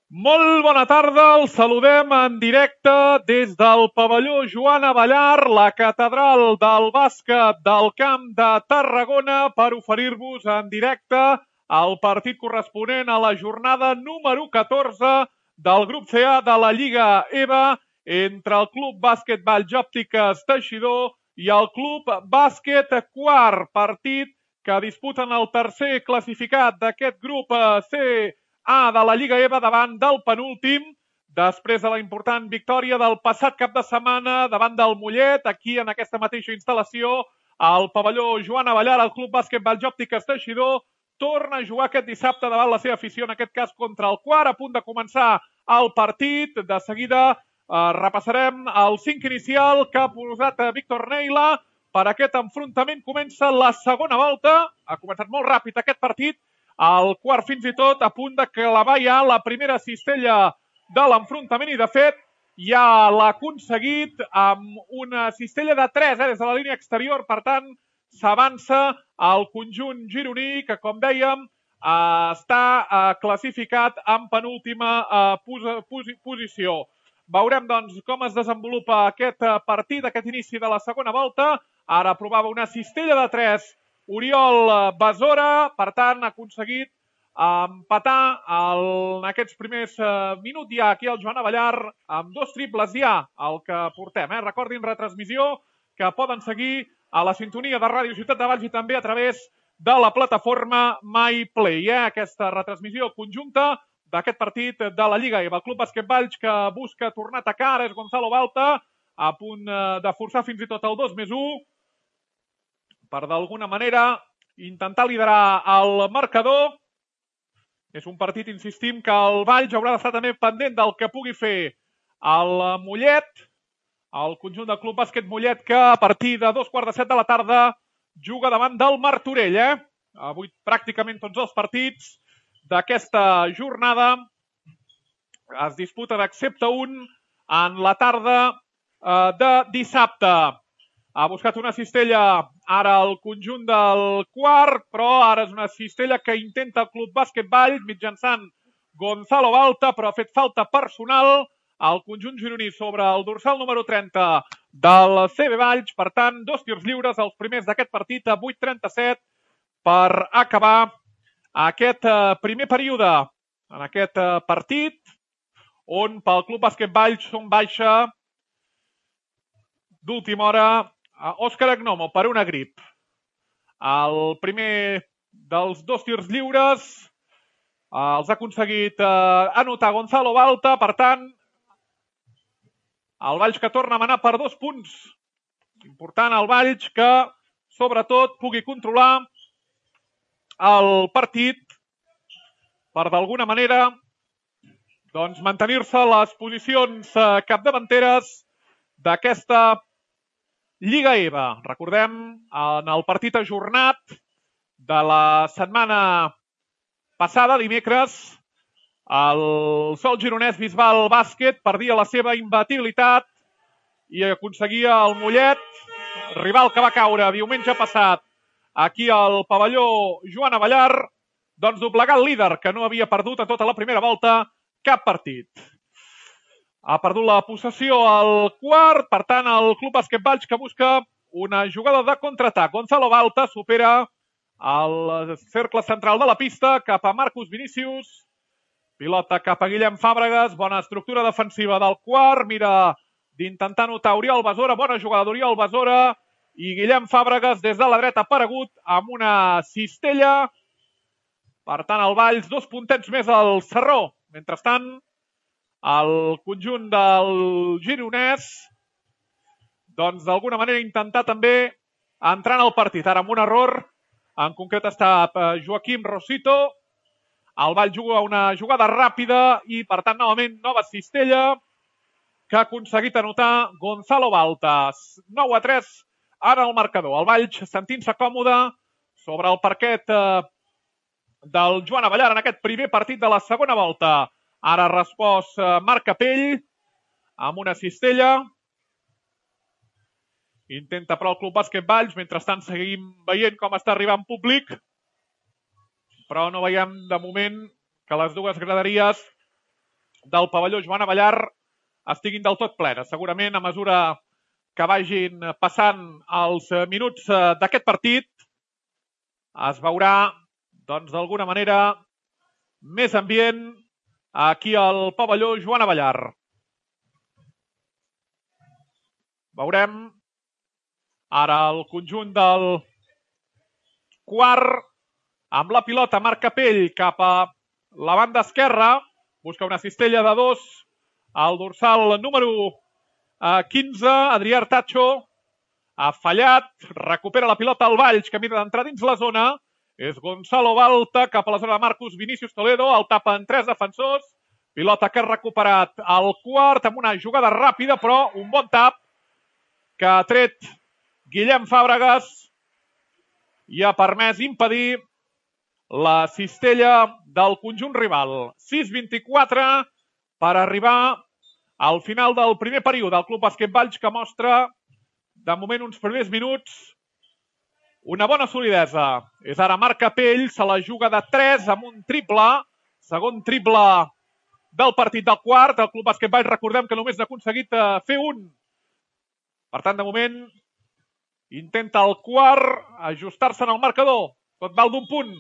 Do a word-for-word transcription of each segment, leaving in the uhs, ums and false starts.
Molt bona tarda, els saludem en directe des del pavelló Joan Abellar, la catedral del bàsquet del Camp de Tarragona, per oferir-vos en directe el partit corresponent a la jornada número catorze del grup C A de la Lliga E B A entre el Club Bàsquet Valls Òptiques Teixidor i el Club Bàsquet Quart, partit que disputen el tercer classificat d'aquest grup C A de la Lliga E B A davant del penúltim, després de la important victòria del passat cap de setmana davant del Mollet, aquí en aquesta mateixa instal·lació, al pavelló Joan Abellar, el Club Bàsquet Valls Òptiques Teixidor, torna a jugar aquest dissabte davant la seva afició, en aquest cas contra el Quart, a punt de començar el partit. De seguida eh, repassarem el cinc inicial que ha posat Víctor Neila per aquest enfrontament. Comença la segona volta, ha començat molt ràpid aquest partit, el Quart fins i tot a punt de clavar ja la primera cistella de l'enfrontament i de fet ja l'ha aconseguit amb una cistella de tres eh, des de la línia exterior. Per tant, s'avança al conjunt gironí que, com dèiem, eh, està eh, classificat en penúltima eh, pos pos posició. Veurem, doncs, com es desenvolupa aquest partit, aquest inici de la segona volta. Ara provava una cistella de tres Oriol Besora, per tant, ha aconseguit empatar el, en aquests primers eh, minuts ja aquí al Joan Abellar amb dos triples ja, el que portem. Eh? Recordin, retransmissió que poden seguir a la sintonia de Ràdio Ciutat de Valls i també a través de la plataforma MyPlay. Eh? Aquesta retransmissió conjunta d'aquest partit de la Lliga E B A. El Club Bàsquet Valls que busca tornar a atacar, ara és Gonzalo Balta, a punt de forçar fins i tot el dos més u, per d'alguna manera intentar liderar el marcador. És un partit, insistim, que el Valls haurà d'estar també pendent del que pugui fer el Mollet, el conjunt del Club Bàsquet Mollet, que a partir de dos quarts de set de la tarda juga davant del Martorell. Eh? Avui pràcticament tots els partits d'aquesta jornada es disputen excepte un en la tarda eh, de dissabte. Ha buscat una cistella ara el conjunt del Quart, però ara és una cistella que intenta el Club Bàsquet Valls mitjançant Gonzalo Balta, però ha fet falta personal al conjunt gironí sobre el dorsal número trenta del C B Valls. Per tant, dos tirs lliures, els primers d'aquest partit a vuit trenta-set per acabar aquest primer període en aquest partit, on pel Club Bàsquet Valls són baixa d'última hora a Òscar Agnomo per una grip. El primer dels dos tirs lliures els ha aconseguit anotar Gonzalo Balta. Per tant, el Valls que torna a manar per dos punts. Important el Valls que, sobretot, pugui controlar el partit per d'alguna manera doncs, mantenir-se les posicions capdavanteres d'aquesta Lliga E B A. Recordem, en el partit ajornat de la setmana passada, dimecres, el Sol Gironès Bisbal Bàsquet perdia la seva imbatibilitat i aconseguia el Mollet, rival que va caure diumenge passat aquí al pavelló Joan Abellar, doncs doblegar el líder, que no havia perdut a tota la primera volta cap partit. Ha perdut la possessió al Quart, per tant, el Club Bàsquet Valls que busca una jugada de contraatac. Gonzalo Balta supera el cercle central de la pista cap a Marcus Vinícius. Pilota cap a Guillem Fàbregas, bona estructura defensiva del Quart, mira d'intentar notar Oriol Besora, bona jugada d'Oriol Besora, i Guillem Fàbregas des de la dreta aparegut amb una cistella. Per tant, el Valls, dos puntets més al Sarró. Mentrestant, el conjunt del gironès, doncs d'alguna manera intentar també entrar en el partit. Ara amb un error, en concret està Joaquim Rosito. El Valls juga una jugada ràpida i, per tant, novament, nova cistella que ha aconseguit anotar Gonzalo Balta. nou a tres ara el marcador. El Valls sentint-se còmode sobre el parquet del Joan Abellar en aquest primer partit de la segona volta. Ara ha respost Marc Capell amb una cistella. Intenta però el Club Bàsquet Valls. Mentrestant seguim veient com està arribant públic, però no veiem de moment que les dues graderies del pavelló Joan Abellar estiguin del tot plenes. Segurament, a mesura que vagin passant els minuts d'aquest partit, es veurà, doncs, d'alguna manera, més ambient aquí al pavelló Joan Abellar. Veurem ara el conjunt del quart amb la pilota Marc Capell cap a la banda esquerra. Busca una cistella de dos. El dorsal número quinze, Adrià Artacho, ha fallat. Recupera la pilota al Valls, que mira d'entrar dins la zona. És Gonzalo Balta cap a la zona de Marcus Vinícius Toledo. El tapen tres defensors. Pilota que ha recuperat el quart amb una jugada ràpida, però un bon tap que ha tret Guillem Fàbregas i ha permès impedir la cistella del conjunt rival. sis vint-i-quatre per arribar al final del primer període. El Club Bàsquet Valls, que mostra de moment uns primers minuts una bona solidesa. És ara Marc Capell, se la juga de tres amb un triple. Segon triple del partit del quart. El Club Bàsquet Valls, recordem que només n'ha aconseguit fer un. Per tant, de moment, intenta el quart ajustar-se en el marcador. Tot val d'un punt.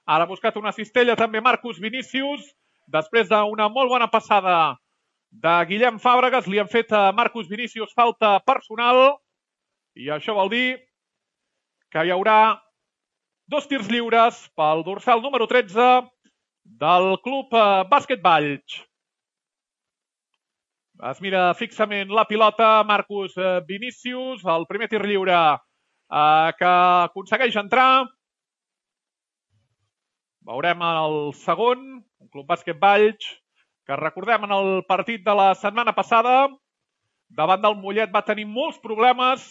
Ara ha buscat una cistella també Marcus Vinícius. Després d'una molt bona passada de Guillem Fàbregas, li han fet a Marcus Vinícius falta personal. I això vol dir que hi haurà dos tirs lliures pel dorsal número tretze del Club Bàsquet Valls. Es mira fixament la pilota Marcus Vinícius. El primer tir lliure eh, que aconsegueix entrar. Veurem el segon, un Club Bàsquet Valls, que recordem en el partit de la setmana passada, davant del Mollet va tenir molts problemes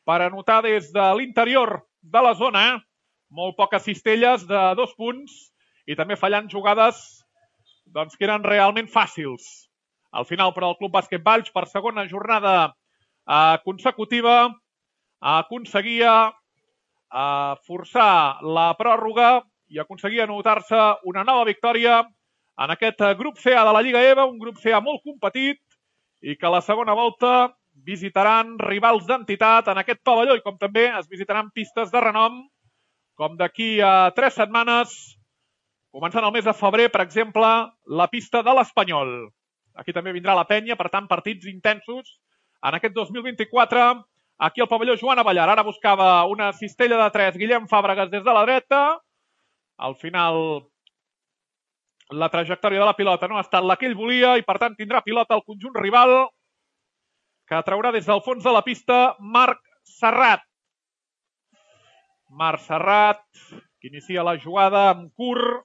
per anotar des de l'interior de la zona. Molt poques cistelles de dos punts i també fallant jugades doncs, que eren realment fàcils. Al final, però, el Club Bàsquet Valls, per segona jornada eh, consecutiva, aconseguia eh, forçar la pròrroga i aconseguia anotar-se una nova victòria en aquest grup C A de la Lliga E V A, un grup C A molt competit i que a la segona volta visitaran rivals d'entitat en aquest pavelló i com també es visitaran pistes de renom, com d'aquí a tres setmanes, començant el mes de febrer, per exemple, la pista de l'Espanyol. Aquí també vindrà la penya, per tant, partits intensos en aquest dos mil vint-i-quatre, aquí al pavelló Joan Abellar. Ara buscava una cistella de tres, Guillem Fàbregas des de la dreta. Al final, la trajectòria de la pilota no ha estat la que ell volia i, per tant, tindrà pilota el conjunt rival, que traurà des del fons de la pista Marc Serrat. Marc Serrat, que inicia la jugada amb curt.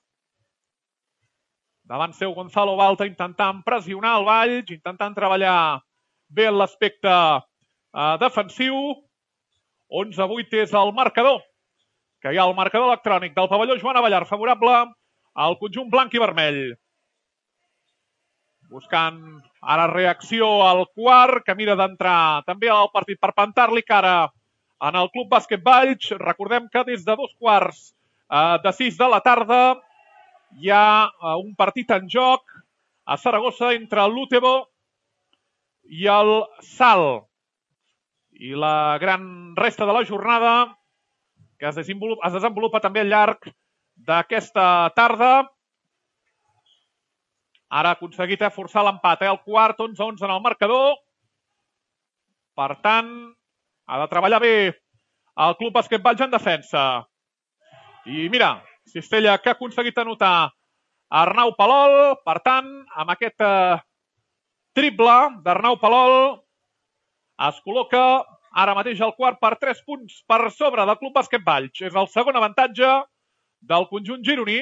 Davant seu Gonzalo Balta intentant pressionar el Valls, intentant treballar bé en l'aspecte eh, defensiu. onze a vuit és el marcador, que hi ha el marcador electrònic del pavelló Joan Abellar, favorable al conjunt blanc i vermell. Buscant ara reacció al quart, que mira d'entrar també al partit per plantar-li cara en el Club Bàsquet Valls. Recordem que des de dos quarts eh, de sis de la tarda hi ha un partit en joc a Saragossa entre l'Utebo i el Sal. I la gran resta de la jornada que es desenvolupa, es desenvolupa també al llarg d'aquesta tarda. Ara ha aconseguit eh, forçar l'empat. Eh? El quart, onze a onze en el marcador. Per tant, ha de treballar bé el Club Bàsquet Valls en defensa. I mira, cistella que ha aconseguit anotar Arnau Palol. Per tant, amb aquest eh, triple d'Arnau Palol es col·loca ara mateix el quart per tres punts per sobre del Club Bàsquet Valls. És el segon avantatge del conjunt gironí,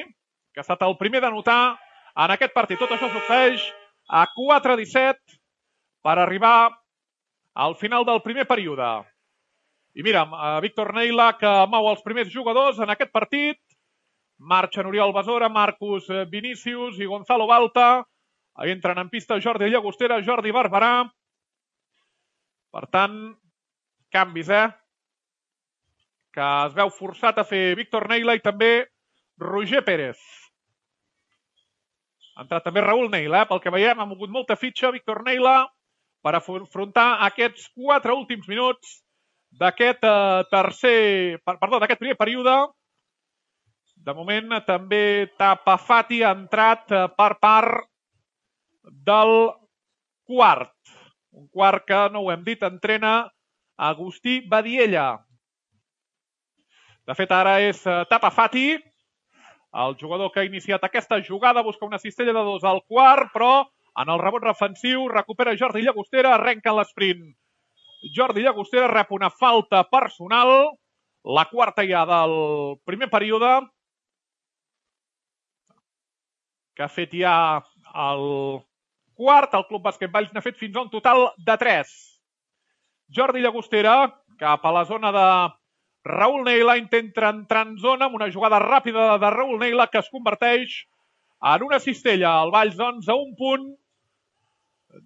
que ha estat el primer d'anotar en aquest partit. Tot això succeeix a quatre a disset per arribar al final del primer període. I mira, Víctor Neila, que mou els primers jugadors en aquest partit. Marxen Oriol Besora, Marcus Vinícius i Gonzalo Balta. Entren en pista Jordi Llagostera, Jordi Barberà. Per tant, canvis, eh? Que es veu forçat a fer Víctor Neila i també Roger Pérez. Ha entrat també Raül Neila, eh? Pel que veiem, ha mogut molta fitxa Víctor Neila per afrontar aquests quatre últims minuts d'aquest eh, tercer, perdó, d'aquest primer període. De moment també Tapa Fati ha entrat eh, per part del quart. Un quart que, no ho hem dit, entrena Agustí Badiella. De fet, ara és eh, Tapa Fati, el jugador que ha iniciat aquesta jugada, busca una cistella de dos al quart, però en el rebot defensiu recupera Jordi Llagostera, arrenca l'esprint. Jordi Llagostera rep una falta personal, la quarta ja del primer període, que ha fet ja el quart, el Club Bàsquet Valls n'ha fet fins a un total de tres. Jordi Llagostera cap a la zona de Raül Neila, intenta entrar en zona amb una jugada ràpida de Raül Neila que es converteix en una cistella. El Valls, doncs, a un punt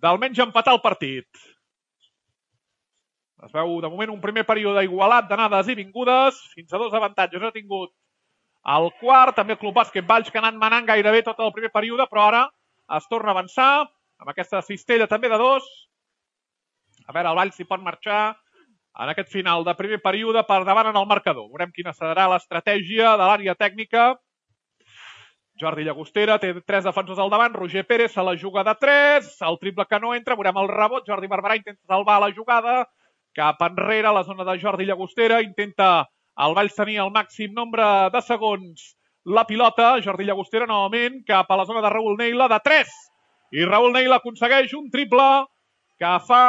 d'almenys empatar el partit. Es veu, de moment, un primer període igualat d'anades i vingudes. Fins a dos avantatges ha tingut el quart. També el Club Bàsquet Valls, que ha anat manant gairebé tot el primer període, però ara es torna a avançar amb aquesta cistella també de dos. A veure, el Valls si pot marxar en aquest final de primer període per davant en el marcador. Veurem quina serà l'estratègia de l'àrea tècnica. Jordi Llagostera té tres defensors al davant. Roger Pérez se la juga de tres. El triple que no entra. Veurem el rebot. Jordi Barberà intenta salvar la jugada. Cap enrere a la zona de Jordi Llagostera. Intenta el Valls tenir el màxim nombre de segons la pilota. Jordi Llagostera novament cap a la zona de Raül Neila de tres. I Raül Neila aconsegueix un triple que fa...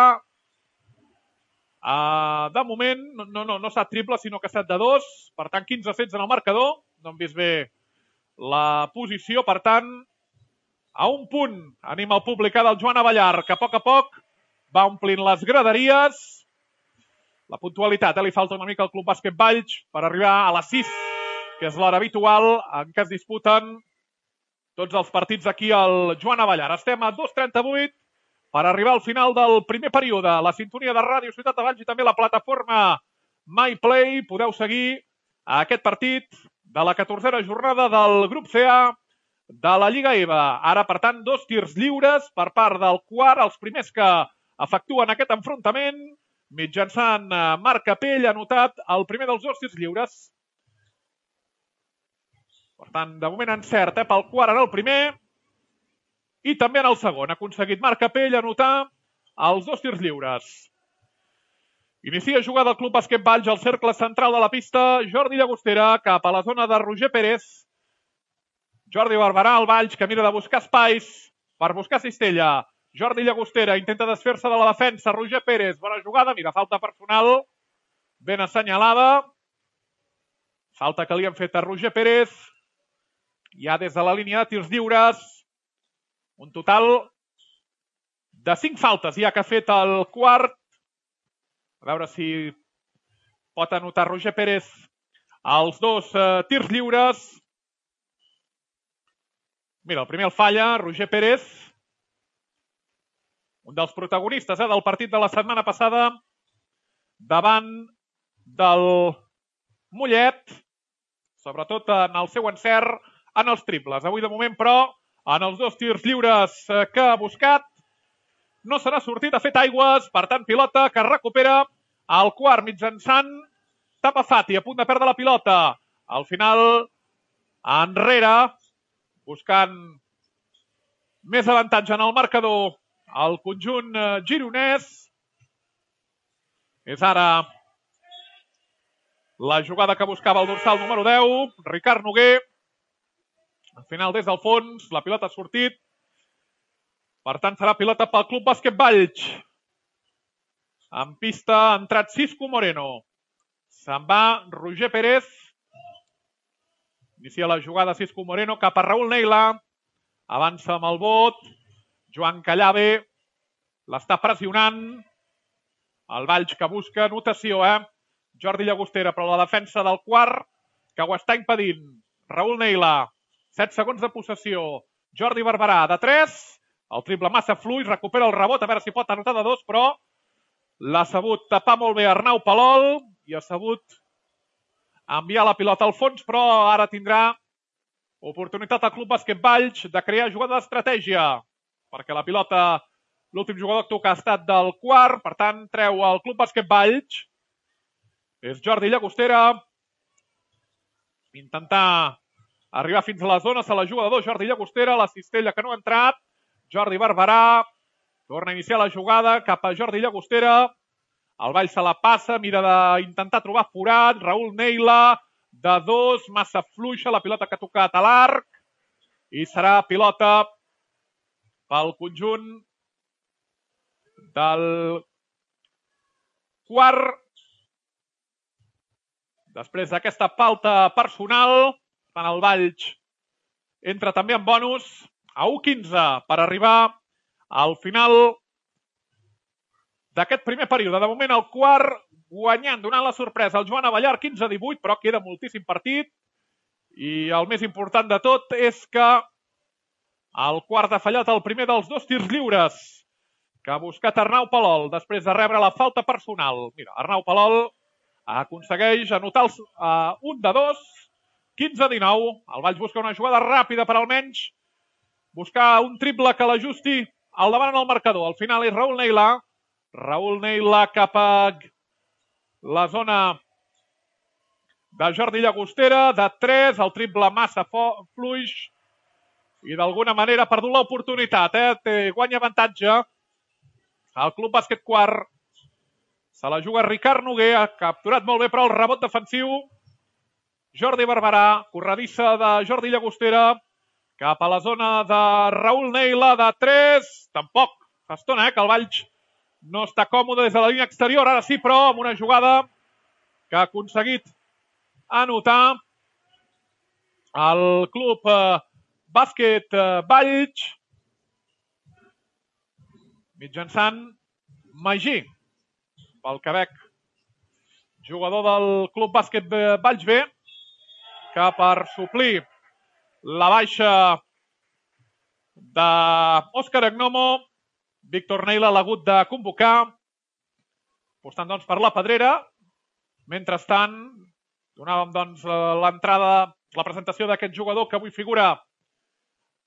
Uh, de moment, no, no, no, no ha estat triple, sinó que ha estat de dos. Per tant, quinze a setze en el marcador. No hem vist bé la posició. Per tant, a un punt anima el públic del Joan Abellar, que a poc a poc va omplint les graderies. La puntualitat, eh? Li falta una mica al Club Bàsquet Valls per arribar a les sis, que és l'hora habitual en què es disputen tots els partits aquí al Joan Abellar. Estem a dos trenta-vuit per arribar al final del primer període. La sintonia de Ràdio Ciutat de Valls i també la plataforma MyPlay. Podeu seguir aquest partit de la catorzena jornada del grup C A de la Lliga E V A. Ara, per tant, dos tirs lliures per part del quart, els primers que efectuen aquest enfrontament. Mitjançant Marc Capell ha anotat el primer dels dos tirs lliures. Per tant, de moment encert, eh, pel quart en el primer. I també en el segon. Ha aconseguit Marc Capell anotar els dos tirs lliures. Inicia jugada el Club Bàsquet Valls al cercle central de la pista. Jordi Llagostera cap a la zona de Roger Pérez. Jordi Barberà, el Valls, que mira de buscar espais per buscar cistella. Jordi Llagostera intenta desfer-se de la defensa. Roger Pérez, bona jugada. Mira, falta personal ben assenyalada. Falta que li han fet a Roger Pérez. Ja des de la línia de tirs lliures. Un total de cinc faltes ja que ha fet el quart. A veure si pot anotar Roger Pérez els dos eh, tirs lliures. Mira, el primer el falla, Roger Pérez. Un dels protagonistes eh, del partit de la setmana passada davant del Mollet. Sobretot en el seu encert en els triples. Avui de moment, però, en els dos tirs lliures que ha buscat, no se n'ha sortit, ha fet aigües, per tant, pilota que recupera el quart mitjançant Tapa Fati, a punt de perdre la pilota. Al final, enrere, buscant més avantatge en el marcador, el conjunt gironès. És ara la jugada que buscava el dorsal número deu, Ricard Noguer. Al final, des del fons, la pilota ha sortit. Per tant, serà pilota pel Club Bàsquet Valls. En pista ha entrat Cisco Moreno. Se'n va Roger Pérez. Inicia la jugada Cisco Moreno cap a Raül Neila. Avança amb el bot. Joan Callave l'està pressionant. El Valls que busca notació, eh? Jordi Llagostera, però la defensa del quart que ho està impedint. Raül Neila. set segons de possessió. Jordi Barberà, de tres. El triple massa fluix, recupera el rebot, a veure si pot anotar de dos, però l'ha sabut tapar molt bé Arnau Palol i ha sabut enviar la pilota al fons, però ara tindrà Oportunitat al Club Bàsquet Valls de crear jugada d'estratègia, perquè la pilota, l'últim jugador que toca ha estat del quart, per tant, treu el Club Bàsquet Valls. És Jordi Llagostera. Intentar arribar fins a la zona, se la juga de dos, Jordi Llagostera, la cistella que no ha entrat. Jordi Barberà torna a iniciar la jugada cap a Jordi Llagostera. El Valls se la passa, mira d'intentar trobar forat. Raül Neila, de dos, massa fluixa, la pilota que ha tocat a l'arc. I serà pilota pel conjunt del quart. Després d'aquesta falta personal, el Valls entra també en bonus a u quinze per arribar al final d'aquest primer període. De moment el quart guanyant, donant la sorpresa al Joan Abellar, quinze a divuit, però queda moltíssim partit. I el més important de tot és que el quart ha fallat el primer dels dos tirs lliures que ha buscat Arnau Palol després de rebre la falta personal. Mira, Arnau Palol aconsegueix anotar el, uh, un de dos, quinze a dinou. El Valls busca una jugada ràpida per almenys buscar un triple que l'ajusti al davant en el marcador. Al final és Raül Neila. Raül Neila cap a la zona de Jordi Llagostera, de tres, el triple massa fluix i d'alguna manera ha perdut l'oportunitat. Eh? Té, guanya avantatge el Club Bàsquet Quart. Se la juga Ricard Noguer, ha capturat molt bé però el rebot defensiu. Jordi Barberà, corredissa de Jordi Llagostera, cap a la zona de Raül Neila, de tres. Tampoc, fa estona eh, que el Valls no està còmode des de la línia exterior. Ara sí, però, amb una jugada que ha aconseguit anotar el Club eh, Bàsquet eh, Valls mitjançant Magí, pel Quebec, jugador del Club Bàsquet Valls B, que per suplir la baixa d'Òscar Agnomo, Víctor Neila l'ha hagut de convocar, apostant doncs per la Pedrera. Mentrestant, donàvem doncs l'entrada, la presentació d'aquest jugador que avui figura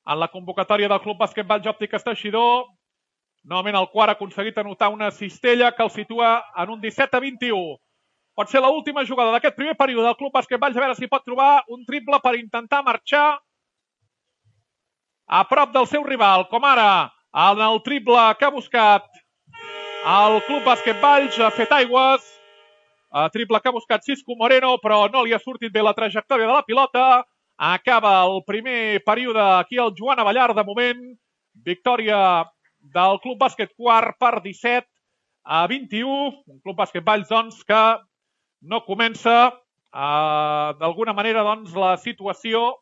en la convocatòria del Club Bàsquet Valls Òptiques Teixidor. Novament el quart ha aconseguit anotar una cistella que el situa en un disset a vint-i-u. Pot ser l'última jugada d'aquest primer període del Club Bàsquet Valls, a veure si pot trobar un triple per intentar marxar a prop del seu rival, com ara en el triple que ha buscat el Club Bàsquet Valls, ha fet aigües, triple que ha buscat Cisco Moreno, però no li ha sortit bé la trajectòria de la pilota. Acaba el primer període aquí al Joan Abellar, de moment, victòria del Club Bàsquet Quart per disset a vint-i-u. Un Club Bàsquet Valls, doncs, que no comença eh, d'alguna manera doncs, la situació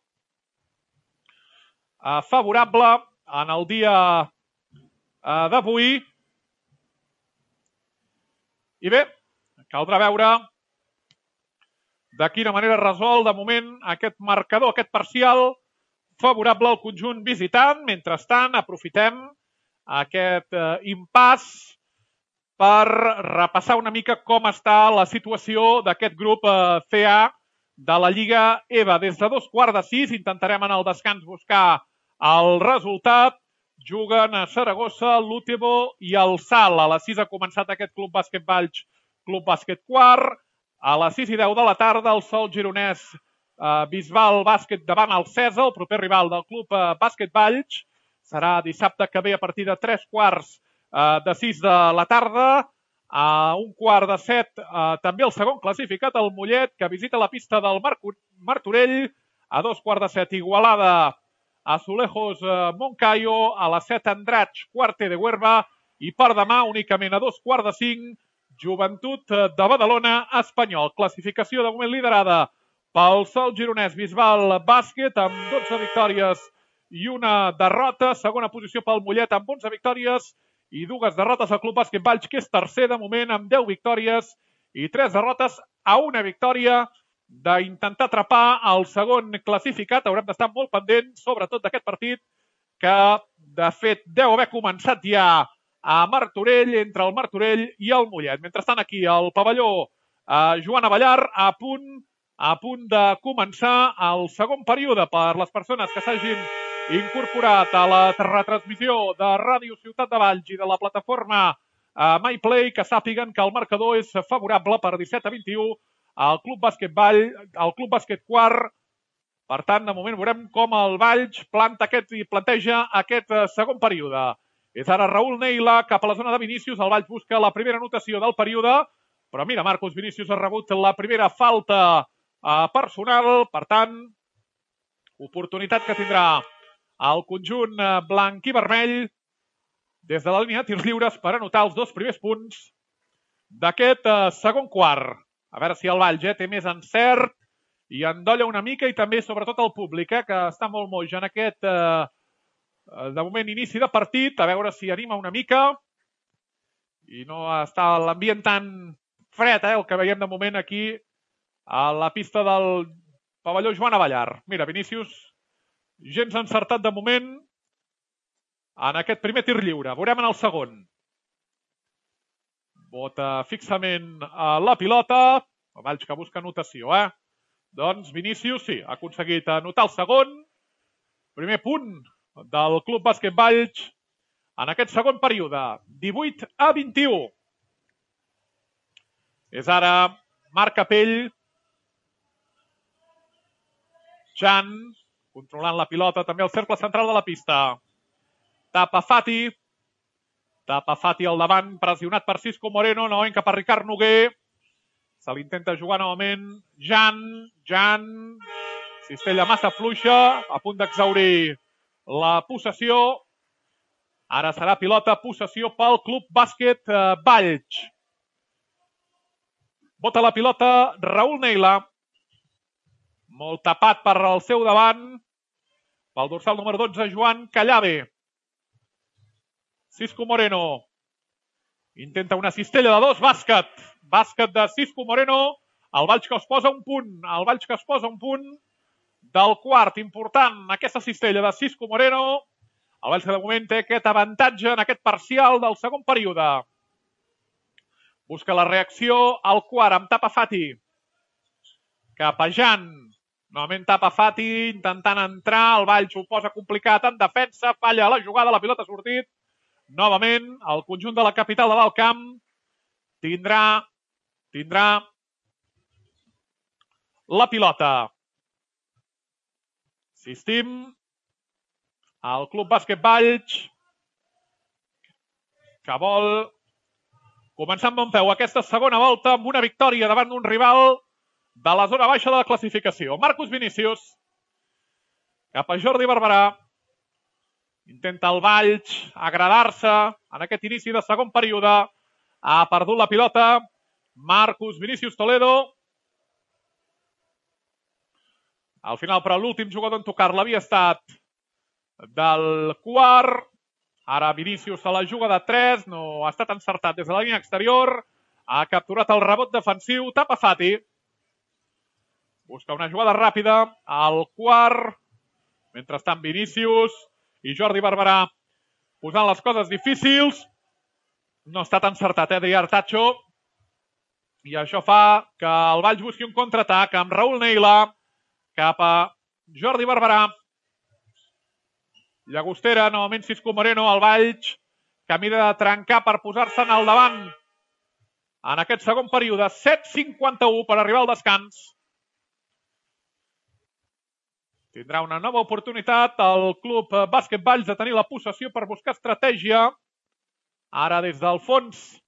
eh, favorable en el dia eh, d'avui. I bé, caldrà veure de quina manera resol de moment aquest marcador, aquest parcial favorable al conjunt visitant. Mentrestant, aprofitem aquest eh, impàs per repassar una mica com està la situació d'aquest grup eh, C A de la Lliga E V A. Des de dos quarts de sis intentarem en el descans buscar el resultat. Juguen a Saragossa, l'Útebo i el Sal. A les sis ha començat aquest Club Bàsquet Valls, Club Bàsquet Quart. A les sis i deu de la tarda, el Sol Gironès eh, Bisbal Bàsquet davant el Cèsar, el proper rival del Club eh, Bàsquet Valls. Serà dissabte que ve a partir de tres quarts eh, de sis de la tarda. A un quart de set, eh, també el segon classificat, el Mollet, que visita la pista del Mar Martorell. A dos quarts de set, Igualada, Azulejos eh, Moncayo. A les set, Andratx, Quarte de Huerva. I per demà, únicament a dos quarts de cinc, Joventut de Badalona, Espanyol. Classificació de moment liderada pel Sol Gironès Bisbal Bàsquet amb dotze victòries i una derrota. Segona posició pel Mollet amb onze victòries i dues derrotes al Club Bàsquet Valls, que és tercer de moment amb deu victòries i tres derrotes, a una victòria d'intentar atrapar el segon classificat. Haurem d'estar molt pendents, sobretot d'aquest partit, que de fet deu haver començat ja a Martorell, entre el Martorell i el Mollet. Mentrestant, aquí al pavelló eh, Joan Abellar, a punt a punt de començar el segon període per les persones que s'hagin incorporat a la retransmissió de Ràdio Ciutat de Valls i de la plataforma MyPlay, que sàpiguen que el marcador és favorable per disset a vint-i-u al Club Bàsquet Vall, al Club Bàsquet Quart. Per tant, de moment veurem com el Valls planta aquest i planteja aquest segon període. És ara Raül Neila cap a la zona de Vinícius. El Valls busca la primera anotació del període, però mira, Marcos Vinícius ha rebut la primera falta personal. Per tant, oportunitat que tindrà el conjunt blanc i vermell des de la línia de tirs lliures per anotar els dos primers punts d'aquest segon quart. A veure si el Valls eh, té més encert i endolla una mica, i també, sobretot, el públic, eh, que està molt moix en aquest, eh, de moment, inici de partit. A veure si anima una mica i no està l'ambient tan fred, eh, el que veiem de moment aquí a la pista del pavelló Joan Avellar. Mira, Vinícius, gens encertat de moment en aquest primer tir lliure. Veurem en el segon. Bota fixament a la pilota. El Valls que busca anotació, eh? Doncs Vinícius, sí, ha aconseguit anotar el segon. Primer punt del Club Bàsquet Valls en aquest segon període. divuit a vint-i-u. És ara Marc Capell. Jan, controlant la pilota, també al cercle central de la pista. Tapa Fati. Tapa Fati al davant, pressionat per Cisco Moreno, novament cap a Ricard Noguer. Se l'intenta jugar novament Jan. Jan. Cistella massa fluixa, a punt d'exaurir la possessió. Ara serà pilota, possessió pel Club Bàsquet Valls. Bota la pilota Raül Neila. Molt tapat per al seu davant. Pel dorsal número dotze, Joan Callave. Cisco Moreno. Intenta una cistella de dos, bàsquet. Bàsquet de Cisco Moreno. El Valls que es posa un punt. El Valls que es posa un punt del quart. Important aquesta cistella de Cisco Moreno. El Valls que de moment té aquest avantatge en aquest parcial del segon període. Busca la reacció al quart amb Tapa Fati. Cap a Jan. Novament Tapa Fati intentant entrar. El Valls ho posa complicat en defensa. Falla la jugada, la pilota ha sortit. Novament, el conjunt de la capital de l'Alt Camp tindrà, tindrà la pilota. Insistim, el Club Bàsquet Valls, que vol començar amb bon peu aquesta segona volta amb una victòria davant d'un rival de la zona baixa de la classificació. Marcos Vinícius, cap a Jordi Barberà. Intenta el Valls agradar-se en aquest inici de segon període. Ha perdut la pilota Marcos Vinícius Toledo. Al final, però, l'últim jugador en tocar-la havia estat del quart. Ara Vinícius se la juga de tres. No ha estat encertat des de la línia exterior. Ha capturat el rebot defensiu. Tapa Fati. Busca una jugada ràpida al quart. Mentrestant, Vinícius i Jordi Barberà posant les coses difícils. No ha estat encertat, eh, Adrià Artacho. I això fa que el Valls busqui un contraatac amb Raül Neila cap a Jordi Barberà. Llagostera, novament Cisco Moreno, el Valls, camí de trencar per posar-se en el davant en aquest segon període. set cinquanta-u per arribar al descans. Tindrà una nova oportunitat el Club Bàsquet Valls de tenir la possessió per buscar estratègia. Ara des del fons.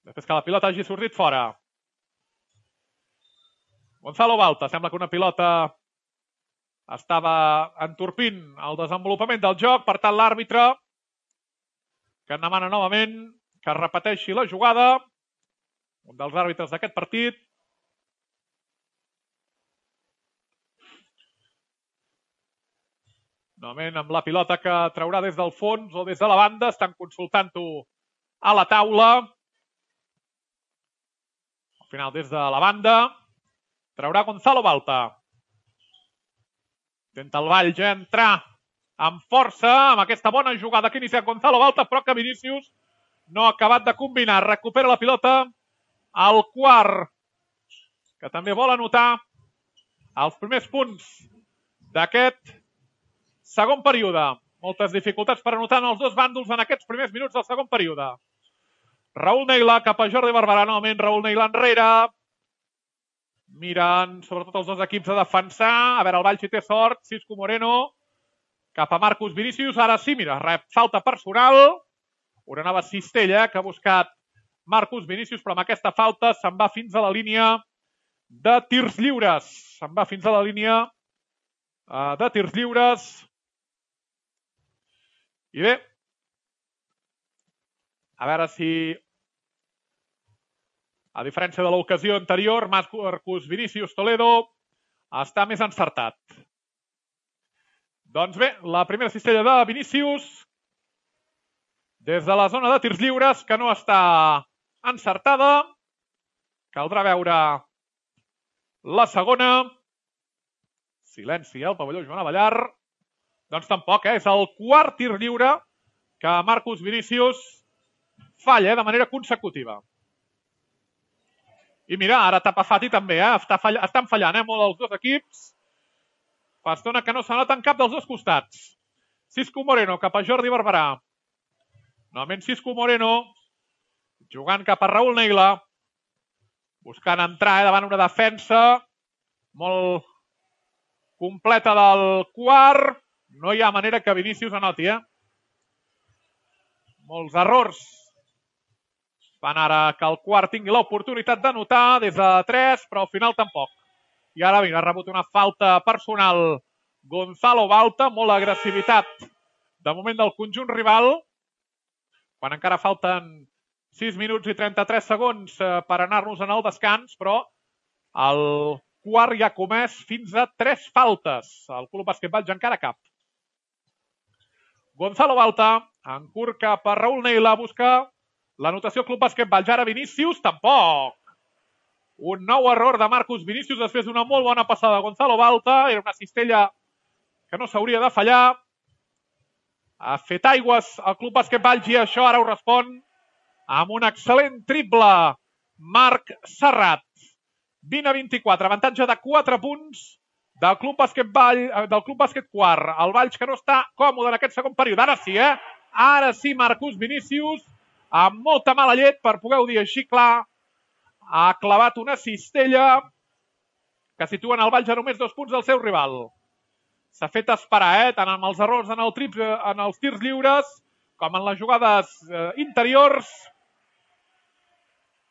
Després que la pilota hagi sortit fora. Gonzalo Balta. Sembla que una pilota estava entorpint el desenvolupament del joc. Per tant, l'àrbitre que en demana novament que repeteixi la jugada. Un dels àrbitres d'aquest partit. Novament amb la pilota que traurà des del fons o des de la banda. Estan consultant-ho a la taula. Al final des de la banda traurà Gonzalo Balta. Intenta el Valls entrar amb força amb aquesta bona jugada que inicia Gonzalo Balta, però que Vinícius no ha acabat de combinar. Recupera la pilota al quart que també vol anotar els primers punts d'aquest segon període. Moltes dificultats per anotar en els dos bàndols en aquests primers minuts del segon període. Raül Neila cap a Jordi Barberà, novament Raül Neila enrere. Miren sobretot els dos equips a defensar. A veure, el Valls hi té sort. Cisco Moreno cap a Marcus Vinícius. Ara sí, mira, rep falta personal. Una nova cistella que ha buscat Marcus Vinícius, però amb aquesta falta se'n va fins a la línia de tirs lliures. Se'n va fins a la línia uh, de tirs lliures. I bé, a veure si, a diferència de l'ocasió anterior, Marcus Vinícius Toledo està més encertat. Doncs bé, la primera cistella de Vinícius des de la zona de tirs lliures, que no està encertada. Caldrà veure la segona. Silenci al pavelló Joan Avellar. Doncs tampoc, eh? És el quart tir lliure que Marcus Vinícius falla eh? de manera consecutiva. I mira, ara Tapafati també, eh? Està fall... estan fallant eh? molt els dos equips. Fa estona que no s'anoten cap dels dos costats. Cisco Moreno cap a Jordi Barberà. Novament Cisco Moreno jugant cap a Raül Neila. Buscant entrar eh? davant una defensa molt completa del quart. No hi ha manera que Vinícius anoti, eh? Molts errors fan ara que el quart tingui l'oportunitat d'anotar des de tres, però al final tampoc. I ara, mira, ha rebut una falta personal Gonzalo Balta, molt agressivitat de moment del conjunt rival, quan encara falten sis minuts i trenta-tres segons per anar-nos en el descans, però el quart ja ha comès fins a tres faltes. El Club Bàsquet Valls encara cap. Gonzalo Balta, en curt cap a Raül Neila, busca l'anotació Club Bàsquet Valls. Ara Vinícius, tampoc. Un nou error de Marcus Vinícius després d'una molt bona passada de Gonzalo Balta. Era una cistella que no s'hauria de fallar. Ha fet aigües al Club Bàsquet Valls i això ara ho respon amb un excel·lent triple. Marc Serrat. vint a vint-i-quatre, avantatge de quatre punts del Club Bàsquet Vall, del Club Bàsquet Quart. El Valls que no està còmode en aquest segon període. Ara sí, eh? Ara sí, Marcus Vinícius, amb molta mala llet, per poder-ho dir així clar, ha clavat una cistella que situen el Valls a només dos punts del seu rival. S'ha fet esperar, eh? Tant amb els errors en, el trip, en els tirs lliures com en les jugades eh, interiors.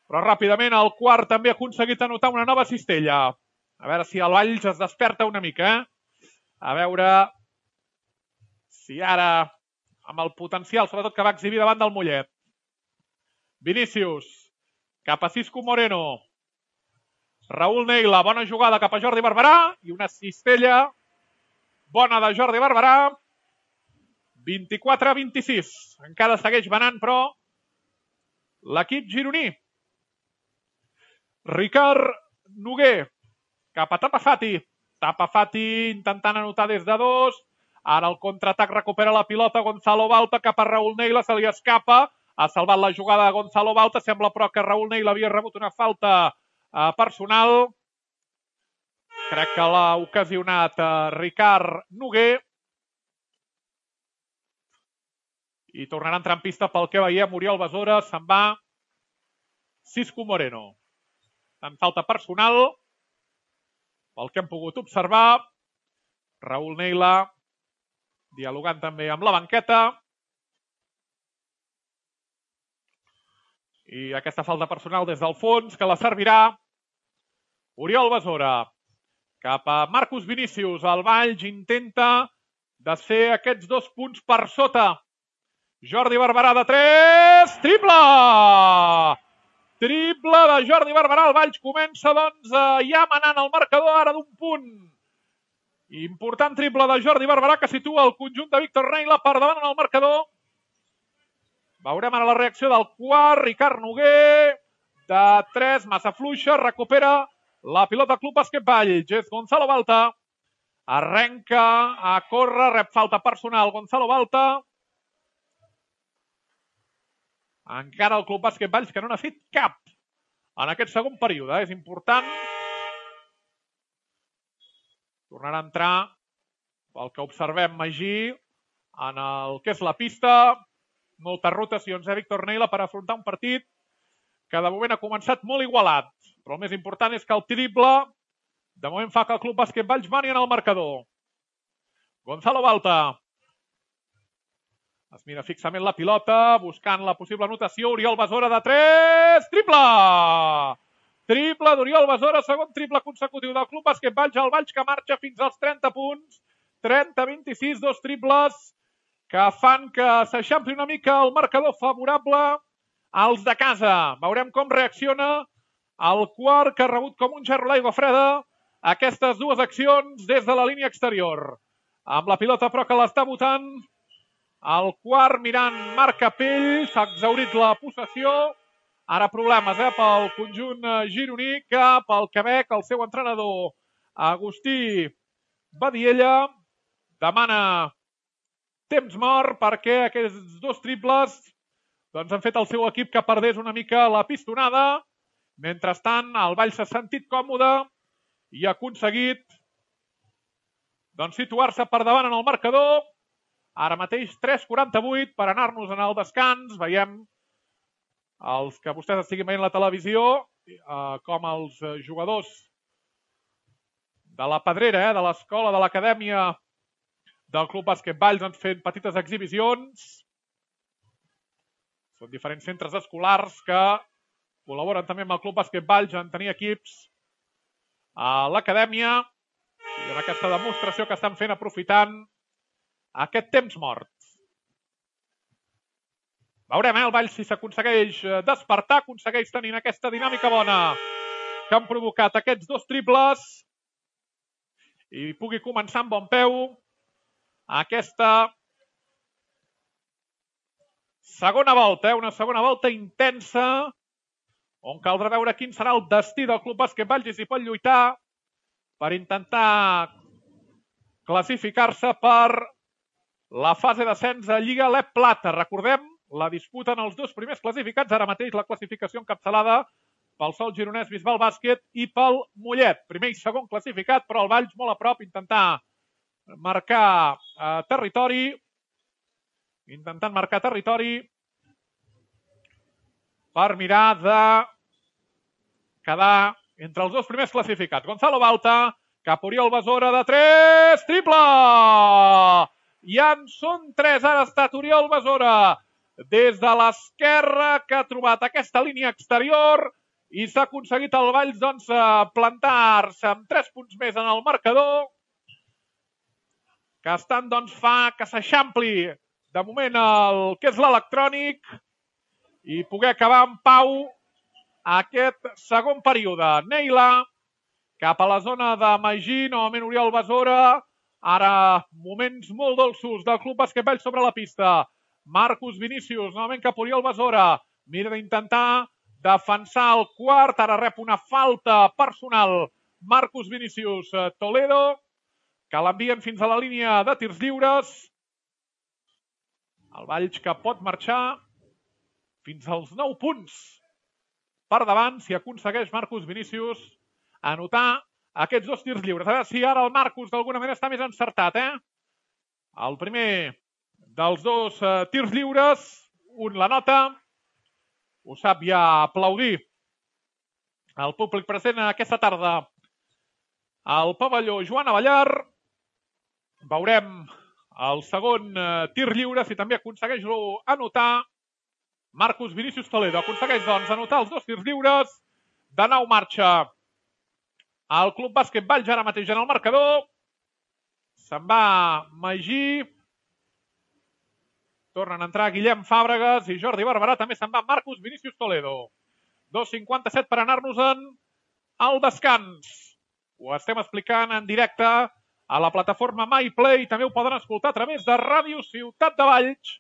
Però ràpidament el quart també ha aconseguit anotar una nova cistella. A veure si el Valls es desperta una mica. Eh? A veure si ara, amb el potencial, sobretot que va exhibir davant del Mollet. Vinícius, cap a Cisco Moreno. Raül Neila, bona jugada cap a Jordi Barberà. I una cistella bona de Jordi Barberà. vint-i-quatre a vint-i-sis. Encara segueix venant, però, l'equip gironí. Ricard Noguer, cap a Tapafati. Tapafati intentant anotar des de dos. Ara el contraatac recupera la pilota Gonzalo Balta cap a Raül Neila. Se li escapa. Ha salvat la jugada de Gonzalo Balta. Sembla, però, que Raül Neila havia rebut una falta eh, personal. Crec que l'ha ocasionat eh, Ricard Noguer. I tornarà a entrar en pista pel que veiem. Oriol Besora, se'n va Cisco Moreno. En falta personal, pel que hem pogut observar. Raül Neila dialogant també amb la banqueta. I aquesta falta personal des del fons que la servirà Oriol Besora. Cap a Marcus Vinícius. El Valls intenta desfer aquests dos punts per sota. Jordi Barberà de tres. Triple! Triple de Jordi Barberà. El Valls comença, doncs, ja manant el marcador ara d'un punt. Important triple de Jordi Barberà que situa el conjunt de Víctor Neila per davant en el marcador. Veurem ara la reacció del quart. Ricard Noguer de tres, massa fluixa, recupera la pilota Club Bàsquet Valls. És Gonzalo Balta. Arrenca a córrer, rep falta personal Gonzalo Balta. Encara el Club Bàsquet Valls que no n'ha fet cap en aquest segon període. És important Tornarà a entrar, pel que observem, Magí, en el que és la pista. Moltes rotacions, eh, Víctor Neila, per afrontar un partit que de moment ha començat molt igualat. Però el més important és que el triple de moment fa que el Club Bàsquet Valls mani en el marcador. Gonzalo Balta. Es mira fixament la pilota, buscant la possible anotació. Oriol Besora de tres. Triple! Triple d'Oriol Besora, segon triple consecutiu del Club Bàsquet Valls. El Valls que marxa fins als trenta punts. trenta a vint-i-sis, dos triples que fan que s'eixampli una mica el marcador favorable als de casa. Veurem com reacciona el quart, que ha rebut com un gerro l'aigua freda aquestes dues accions des de la línia exterior. Amb la pilota, però, que l'està botant el quart, mirant Marc Capell. S'ha exhaurit la possessió. Ara problemes eh, pel conjunt gironí, que pel Quebec el seu entrenador Agustí Badiella demana temps mort perquè aquests dos triples doncs, han fet el seu equip que perdés una mica la pistonada. Mentrestant, el Valls s'ha sentit còmode i ha aconseguit doncs, situar-se per davant en el marcador. Ara mateix tres quaranta-vuit per anar-nos en el descans. Veiem els que vostès estiguin veient la televisió, eh, com els jugadors de la Pedrera, eh, de l'escola, de l'acadèmia del Club Bàsquet Valls, han fet petites exhibicions. Són diferents centres escolars que col·laboren també amb el Club Bàsquet Valls en tenir equips a l'acadèmia i en aquesta demostració que estan fent aprofitant aquest temps mort. Veurem, eh, el Valls, si s'aconsegueix despertar, aconsegueix tenir aquesta dinàmica bona que han provocat aquests dos triples i pugui començar amb bon peu aquesta segona volta, eh, una segona volta intensa on caldrà veure quin serà el destí del Club Bàsquet Valls i si pot lluitar per intentar classificar-se per la fase d'ascens a Lliga L E P Plata. Recordem, la disputen els dos primers classificats, ara mateix la classificació encapçalada pel Sol Gironès Bisbal Bàsquet i pel Mollet. Primer i segon classificat, però el Valls molt a prop, intentar marcar eh, territori, intentant marcar territori per mirar de quedar entre els dos primers classificats. Gonzalo Balta, cap a Oriol Besora de tres, triple! I en són tres, ara ha estat Oriol Besora des de l'esquerra, que ha trobat aquesta línia exterior i s'ha aconseguit el Valls doncs, plantar-se amb tres punts més en el marcador, que estan doncs, fa que s'eixampli de moment el que és l'electrònic i poder acabar en pau aquest segon període. Neila, cap a la zona de Magí, novament Oriol Besora. Ara moments molt dolços del Club Bàsquet Valls sobre la pista. Marcus Vinícius, novament cap a Oriol Besora. Mira d'intentar defensar el quart. Ara rep una falta personal Marcus Vinícius Toledo, que l'envien fins a la línia de tirs lliures. El Valls que pot marxar fins als nou punts per davant si aconsegueix Marcus Vinícius anotar aquests dos tirs lliures. A veure si ara el Marcus d'alguna manera està més encertat. Eh? El primer dels dos eh, tirs lliures, un la nota, ho sap ja aplaudir el públic present aquesta tarda al pavelló Joan Avellar. Veurem el segon eh, tir lliure, si també aconsegueix-lo anotar Marcus Vinícius Toledo. Aconsegueix, doncs, anotar els dos tirs lliures. De nou marxa el Club Bàsquet Valls ara mateix en el marcador. Se'n va Magí. Tornen a entrar Guillem Fàbregas i Jordi Barberà. També se'n va Marcus Vinícius Toledo. dos cinquanta-set per anar-nos-en al descans. Ho estem explicant en directe a la plataforma MyPlay. També ho poden escoltar a través de Ràdio Ciutat de Valls.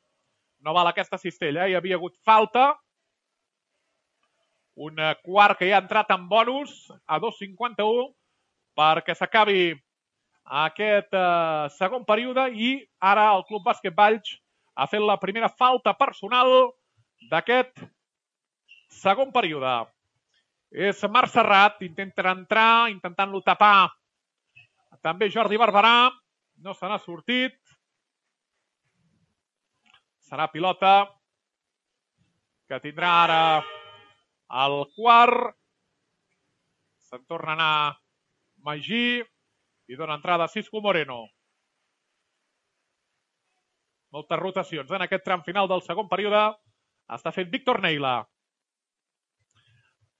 No val aquesta cistella, eh? Hi havia hagut falta. Un quart que ja ha entrat en bonus a dos cinquanta-u perquè s'acabi aquest eh, segon període i ara el Club Bàsquet Valls ha fet la primera falta personal d'aquest segon període. És Marc Serrat, intenta entrar, intentant-lo tapar També Jordi Barberà. No se n'ha sortit. Serà pilota que tindrà ara el quart. Se'n torna a anar Magí i dona entrada a Cisco Moreno. Moltes rotacions en aquest tram final del segon període. Està fent Víctor Neila.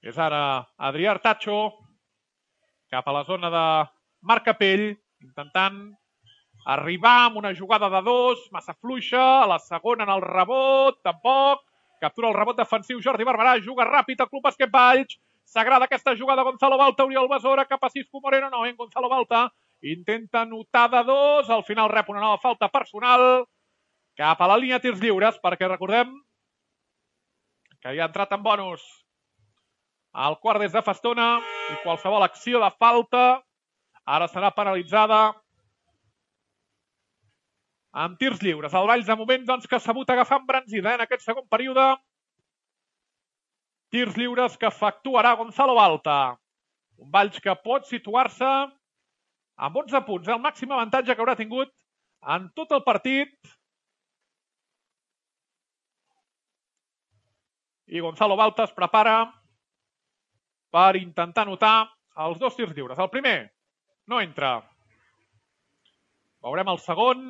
És ara Adrià Artacho cap a la zona de Marc Capell, intentant arribar amb una jugada de dos, massa fluixa, a la segona en el rebot, tampoc. Captura el rebot defensiu Jordi Barberà, juga ràpid al Club Bàsquet Valls. S'agrada aquesta jugada Gonzalo Balta, Oriol Besora cap a Cisco Moreno, no, en Gonzalo Balta intenta anotar de dos, al final rep una nova falta personal cap a la línia de tirs lliures, perquè recordem que hi ha entrat en bonus el quart des de fa estona i qualsevol acció de falta ara serà penalitzada amb tirs lliures. El Valls de moment doncs, que s'ha hagut agafar embranzida eh, en aquest segon període. Tirs lliures que efectuarà Gonzalo Balta. Un Valls que pot situar-se amb onze punts, el màxim avantatge que haurà tingut en tot el partit. I Gonzalo Balta es prepara per intentar anotar els dos tirs lliures. El primer no entra. Veurem el segon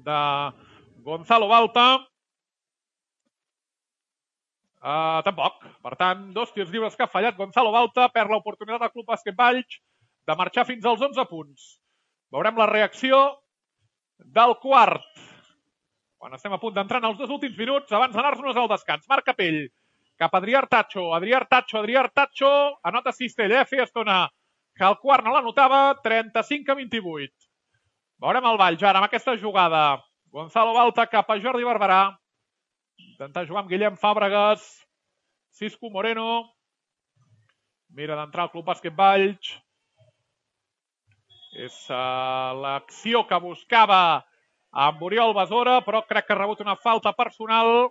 de Gonzalo Balta. Uh, tampoc. Per tant, dos tirs lliures que ha fallat Gonzalo Balta. Perd l'oportunitat del Club Bàsquet Valls de marxar fins als onze punts. Veurem la reacció del quart. Quan estem a punt d'entrar en els dos últims minuts, abans d'anar-nos al descans. Marc Capell cap a Adrià Artacho. Adrià Artacho, Adrià Artacho. Anota Cistell, eh? Feia estona que el quart no l'anotava. trenta-cinc a vint-i-vuit. Veurem el Valls ara amb aquesta jugada. Gonzalo Balta cap a Jordi Barberà. Intentar jugar amb Guillem Fàbregas. Cisco Moreno. Mira d'entrar al Club Bàsquet Valls. És uh, l'acció que buscava amb Oriol Besora, però crec que ha rebut una falta personal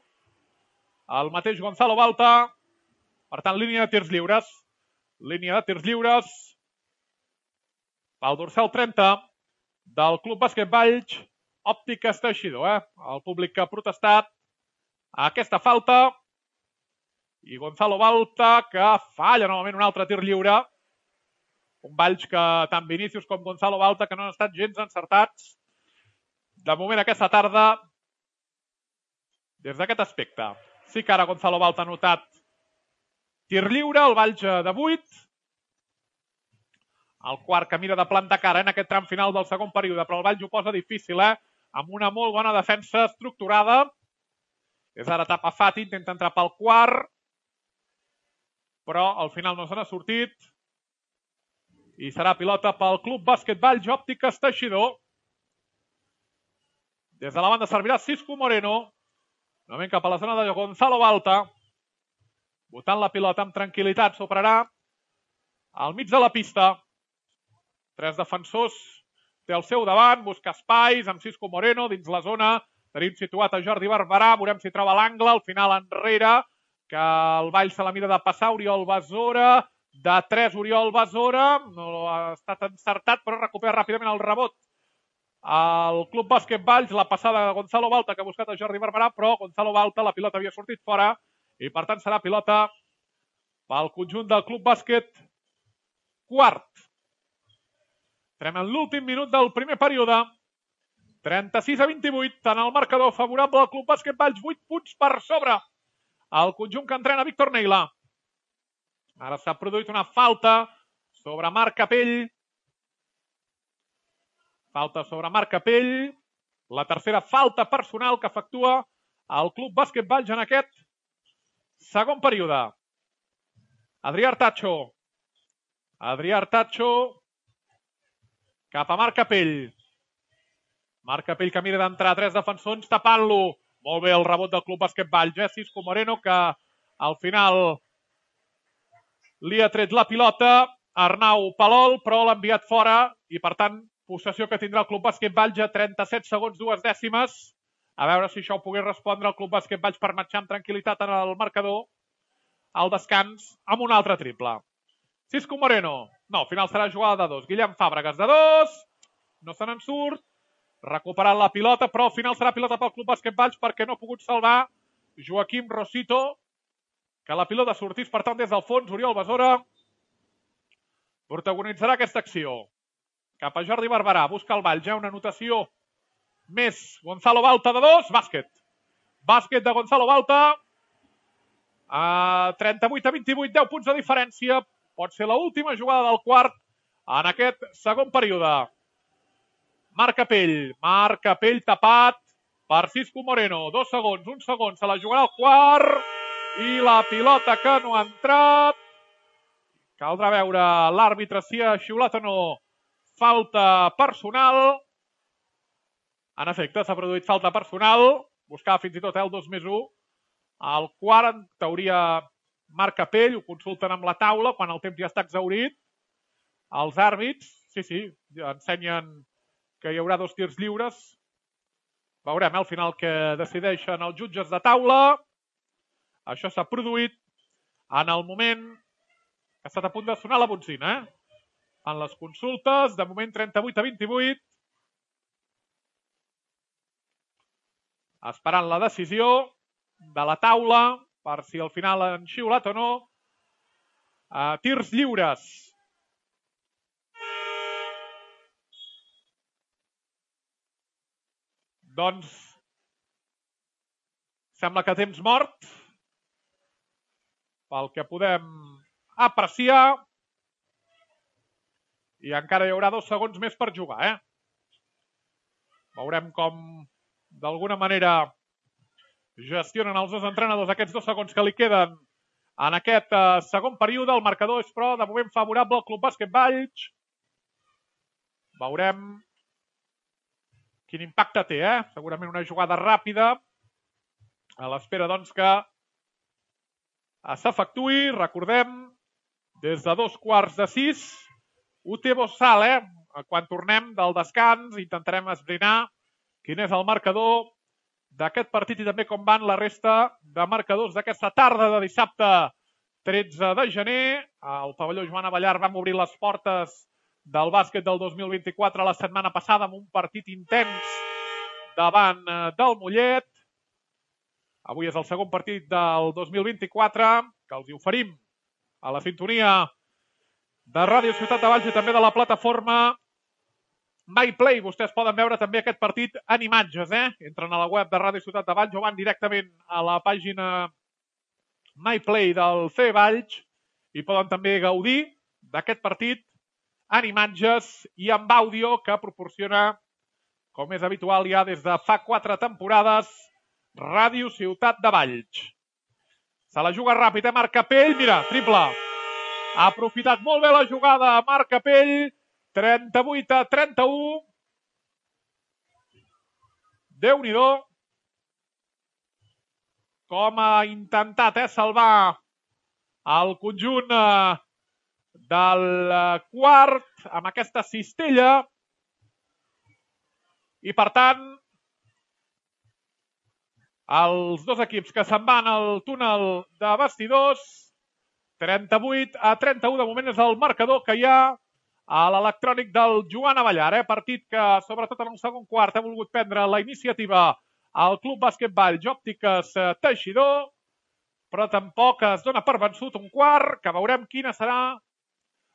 el mateix Gonzalo Balta. Per tant, línia de tirs lliures. Línia de tirs lliures pel dorsal trenta del Club Bàsquet Valls. Òptiques Teixidor, eh? El públic que ha protestat a aquesta falta. I Gonzalo Balta que falla novament un altre tir lliure. Un Valls que tant Vinícius com Gonzalo Balta que no han estat gens encertats de moment aquesta tarda des d'aquest aspecte. Sí que ara Gonzalo Balta ha notat tir lliure, el Valls de vuit. El quart que mira de plantar cara en aquest tram final del segon període, però el Valls ho posa difícil, eh? Amb una molt bona defensa estructurada. És ara Tapa Fati, intenta entrar pel quart, però al final no se n'ha sortit. I serà pilota pel Club Bàsquet Valls Òptiques Teixidor. Des de la banda servirà Cisco Moreno. Novament cap a la zona de Gonzalo Balta. Botant la pilota amb tranquil·litat. S'operarà al mig de la pista. Tres defensors té al seu davant. Busca espais amb Cisco Moreno dins la zona. Tenim situat a Jordi Barberà. Veurem si troba l'angle. Al final enrere. Que el Valls se la mira de passar. Oriol Besora. De tres Oriol Besora. No ha estat encertat, però recupera ràpidament el rebot. El Club Bàsquet Valls, la passada de Gonzalo Balta que ha buscat a Jordi Barberà, però Gonzalo Balta, la pilota havia sortit fora i per tant serà pilota pel conjunt del Club Bàsquet quart. Entrem en l'últim minut del primer període. trenta-sis a vint-i-vuit, en el marcador favorable al Club Bàsquet Valls, vuit punts per sobre. El conjunt que entrena Víctor Neila. Ara s'ha produït una falta sobre Marc Capell. Falta sobre Marc Capell. La tercera falta personal que efectua el Club Bàsquet Valls en aquest segon període. Adrià Artacho. Adrià Artacho cap a Marc Capell. Marc Capell que mira d'entrar tres defensors tapant-lo. Molt bé el rebot del Club Bàsquet Valls. Eh? Cisco Moreno que al final li ha tret la pilota. Arnau Palol, però l'ha enviat fora i per tant possessió que tindrà el Club Bàsquet Valls a trenta-set segons, dues dècimes. A veure si això ho pogués respondre el Club Bàsquet Valls per marxar amb tranquil·litat en el marcador al descans amb un altre triple. Cisco Moreno. No, al final serà jugada de dos. Guillem Fàbregas de dos. No se n'en surt. Recuperant la pilota, però al final serà pilota pel Club Bàsquet Valls perquè no ha pogut salvar Joaquim Rosito, que la pilota sortís, per tant, des del fons. Oriol Besora protagonitzarà aquesta acció. Cap a Jordi Barberà, busca el Valls, ja una anotació més. Gonzalo Balta de dos, bàsquet. Bàsquet de Gonzalo Balta. A trenta-vuit a vint-i-vuit, deu punts de diferència. Pot ser l'última jugada del quart en aquest segon període. Marc Capell, Marc Capell tapat per Cisco Moreno. Dos segons, un segon, se la jugarà al quart i la pilota que no ha entrat. Caldrà veure l'àrbitre si ha xiulat o no falta personal. En efecte, s'ha produït falta personal. Buscava fins i tot el dos més u. Al quart, en teoria, Marc Capell, ho consulten amb la taula quan el temps ja està exhaurit. Els àrbits, sí, sí, ensenyen que hi haurà dos tirs lliures. Veurem al final que decideixen els jutges de taula. Això s'ha produït en el moment que ha estat a punt de sonar la botzina. Eh? En les consultes, de moment trenta-vuit a vint-i-vuit. Esperant la decisió de la taula per si al final han xiulat o no. Uh, tirs lliures. Doncs sembla que temps mort pel que podem apreciar i encara hi haurà dos segons més per jugar. Eh? Veurem com d'alguna manera gestionen els dos entrenadors aquests dos segons que li queden en aquest uh, segon període. El marcador és, però, de moment favorable al Club Bàsquet Valls. Veurem quin impacte té, eh? Segurament una jugada ràpida a l'espera, doncs, que s'efectuï. Recordem, des de dos quarts de sis, U T Bossal, eh? Quan tornem del descans intentarem esbrinar quin és el marcador d'aquest partit i també com van la resta de marcadors d'aquesta tarda de dissabte tretze de gener. Al pavelló Joan Abellar vam obrir les portes del bàsquet del dos mil vint-i-quatre la setmana passada amb un partit intens davant del Mollet. Avui és el segon partit del dos mil vint-i-quatre que els hi oferim a la sintonia de Ràdio Ciutat de Valls i també de la plataforma MyPlay. Vostès poden veure també aquest partit en imatges. Eh? Entren a la web de Ràdio Ciutat de Valls o van directament a la pàgina MyPlay del C Valls i poden també gaudir d'aquest partit en imatges i amb àudio que proporciona, com és habitual ja des de fa quatre temporades, Ràdio Ciutat de Valls. Se la juga ràpid, eh? Marc Capell, mira, triple. Ha aprofitat molt bé la jugada Marc Capell, trenta-vuit a trenta-u. Déu-n'hi-do com ha intentat eh, salvar el conjunt eh, del quart amb aquesta cistella i per tant els dos equips que se'n van al túnel de vestidors. Trenta-vuit a trenta-u de moment és el marcador que hi ha a l'electrònic del Joan Abellar. Eh? Partit que sobretot en el segon quart ha volgut prendre la iniciativa al Club Bàsquet Valls Òptiques Teixidor, però tampoc es dona per vençut un quart, que veurem quina serà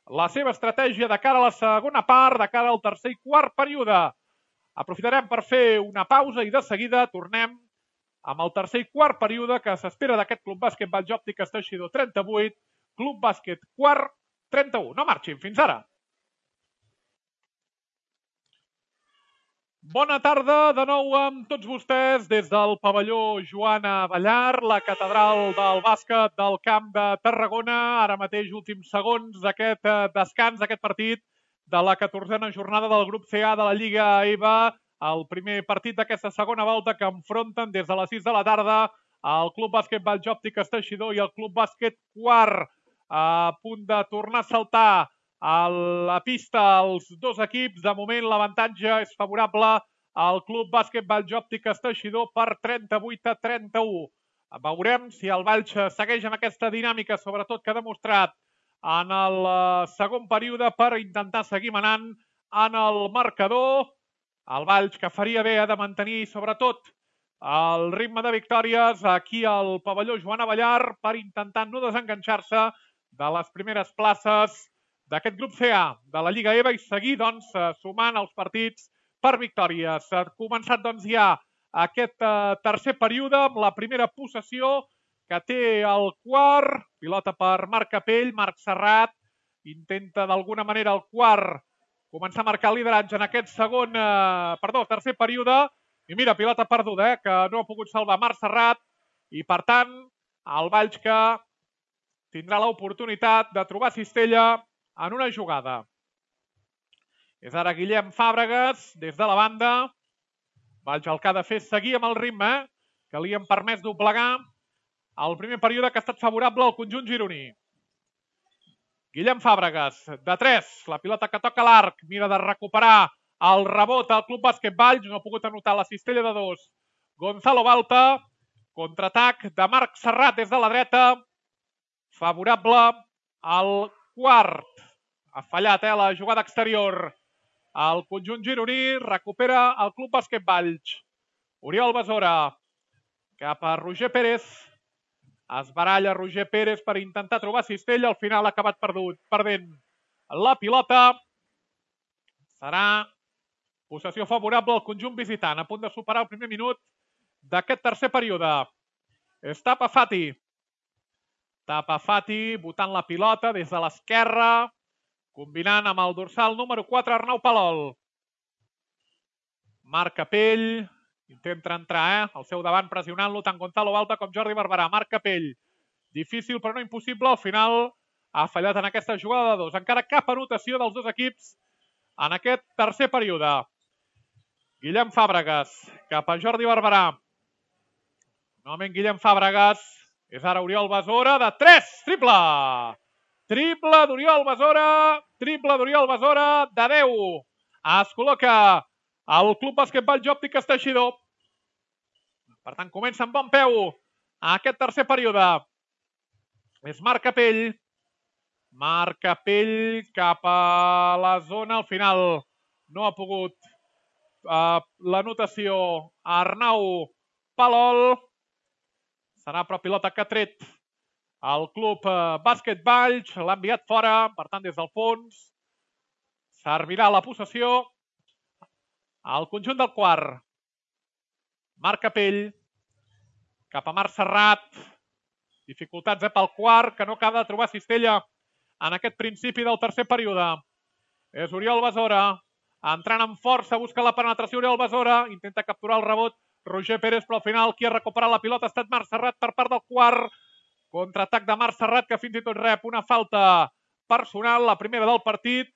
la seva estratègia de cara a la segona part, de cara al tercer i quart període. Aprofitarem per fer una pausa i de seguida tornem amb el tercer i quart període que s'espera d'aquest Club Bàsquet Valls Òptiques Teixidor trenta-vuit, Club Bàsquet quart trenta-u. No marxin, fins ara. Bona tarda de nou amb tots vostès des del pavelló Joan Abellar, la catedral del bàsquet del Camp de Tarragona. Ara mateix, últims segons d'aquest descans, d'aquest partit de la catorzena jornada del grup C A de la Lliga E V A. El primer partit d'aquesta segona volta que enfronten des de les sis de la tarda el Club Bàsquet Valls Òptiques Teixidor i el Club Bàsquet quart. A punt de tornar a saltar a la pista els dos equips. De moment l'avantatge és favorable al Club Bàsquet Valls Òptiques Teixidor per trenta-vuit a trenta-u. Veurem si el Valls segueix amb aquesta dinàmica, sobretot que ha demostrat en el segon període per intentar seguir manant en el marcador. El Valls que faria bé de mantenir, sobretot, el ritme de victòries aquí al pavelló Joan Abellar per intentar no desenganxar-se de les primeres places d'aquest grup C A de la Lliga EVA i seguir doncs, sumant els partits per victòries. Ha començat doncs, ja aquest tercer període amb la primera possessió que té el quart, pilota per Marc Capell, Marc Serrat intenta d'alguna manera el quart començar a marcar el lideratge en aquest segon, eh, perdó, tercer període, i mira, pilota perduda, eh, que no ha pogut salvar Marc Serrat, i per tant, el Valls que tindrà l'oportunitat de trobar cistella en una jugada. És ara Guillem Fàbregas, des de la banda. Valls el que ha de fer és seguir amb el ritme, eh, que li han permès doblegar el primer període que ha estat favorable al conjunt gironí. Guillem Fàbregas, de tres, la pilota que toca l'arc, mira de recuperar el rebot al Club Bàsquet Valls, no ha pogut anotar la cistella de dos. Gonzalo Balta, contraatac de Marc Serrat des de la dreta, favorable al quart. Ha fallat eh, la jugada exterior. El conjunt gironí recupera el Club Bàsquet Valls. Oriol Besora, cap a Roger Pérez. Es baralla Roger Pérez per intentar trobar cistella, al final ha acabat perdut, perdent la pilota. Serà possessió favorable al conjunt visitant, a punt de superar el primer minut d'aquest tercer període. És Tapa Fati. Tapa Fati botant la pilota des de l'esquerra, combinant amb el dorsal número quatre, Arnau Palol. Marc Capell. Intenta entrar, eh? Al seu davant pressionant-lo tant Gonzalo Balta com Jordi Barberà. Marc Capell. Difícil però no impossible. Al final ha fallat en aquesta jugada de dos. Encara cap anotació dels dos equips en aquest tercer període. Guillem Fàbregas cap a Jordi Barberà. Novament Guillem Fàbregas. És ara Oriol Besora de tres. Triple! Triple d'Oriol Besora. Triple d'Oriol Besora de deu. Es col·loca el Club Bàsquet Valls Òptiques Teixidor. Per tant, comença amb bon peu aquest tercer període. És Marc Capell. Marc Capell cap a la zona. Al final no ha pogut uh, l'anotació Arnau Palol. Serà però pilota que ha tret el Club uh, Bàsquet Valls. L'ha enviat fora. Per tant, des del fons servirà la possessió al conjunt del quart. Marc Capell cap a Marc Serrat. Dificultats eh, pel quart, que no acaba de trobar cistella en aquest principi del tercer període. És Oriol Besora. Entrant amb força, busca la penetració Oriol Besora. Intenta capturar el rebot Roger Pérez, però al final qui ha recuperat la pilota ha estat Marc Serrat per part del quart. Contraatac de Marc Serrat, que fins i tot rep una falta personal, la primera del partit.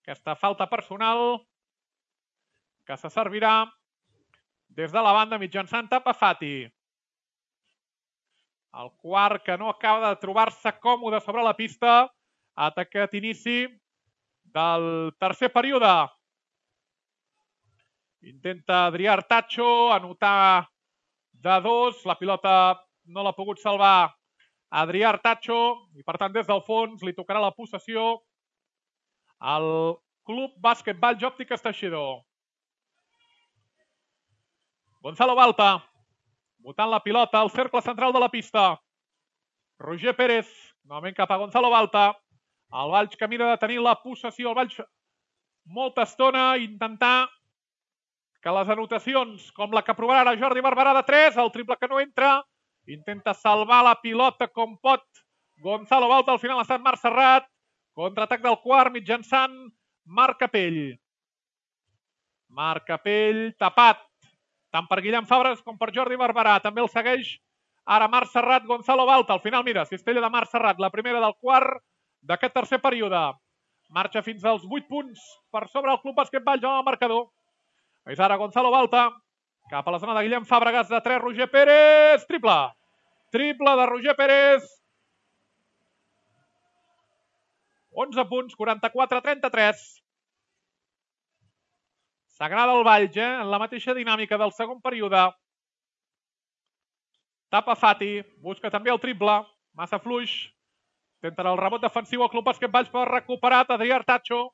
Aquesta falta personal que se servirà des de la banda mitjançant Tapa Fati. El quart que no acaba de trobar-se còmode sobre la pista. Atacat inici del tercer període. Intenta Adrià Artacho anotar de dos. La pilota no l'ha pogut salvar Adrià Artacho i per tant des del fons li tocarà la possessió al Club Bàsquet Valls Òptiques Teixidor. Gonzalo Balta, botant la pilota al cercle central de la pista. Roger Pérez, novament cap a Gonzalo Balta. El Valls que mira de tenir la possessió. El Valls molta estona intentar que les anotacions, com la que provarà ara Jordi Barberà de tres, el triple que no entra, intenta salvar la pilota com pot Gonzalo Balta. Al final ha estat Marc Serrat. Contraatac del quart mitjançant Marc Capell. Marc Capell tapat tant per Guillem Fàbregas com per Jordi Barberà. També el segueix ara Marc Serrat, Gonzalo Balta. Al final, mira, cistella de Marc Serrat, la primera del quart d'aquest tercer període. Marxa fins als vuit punts per sobre el Club Bàsquet Valls en el marcador. És ara Gonzalo Balta cap a la zona de Guillem Fàbregas de tres, Roger Pérez. Triple. Triple de Roger Pérez. onze punts, quaranta-quatre a trenta-tres. S'agrada el Valls, eh? En la mateixa dinàmica del segon període. Tapa Fati, busca també el triple. massa fluix. Tenten el rebot defensiu al Club Bàsquet Valls per recuperat Adrià Artacho.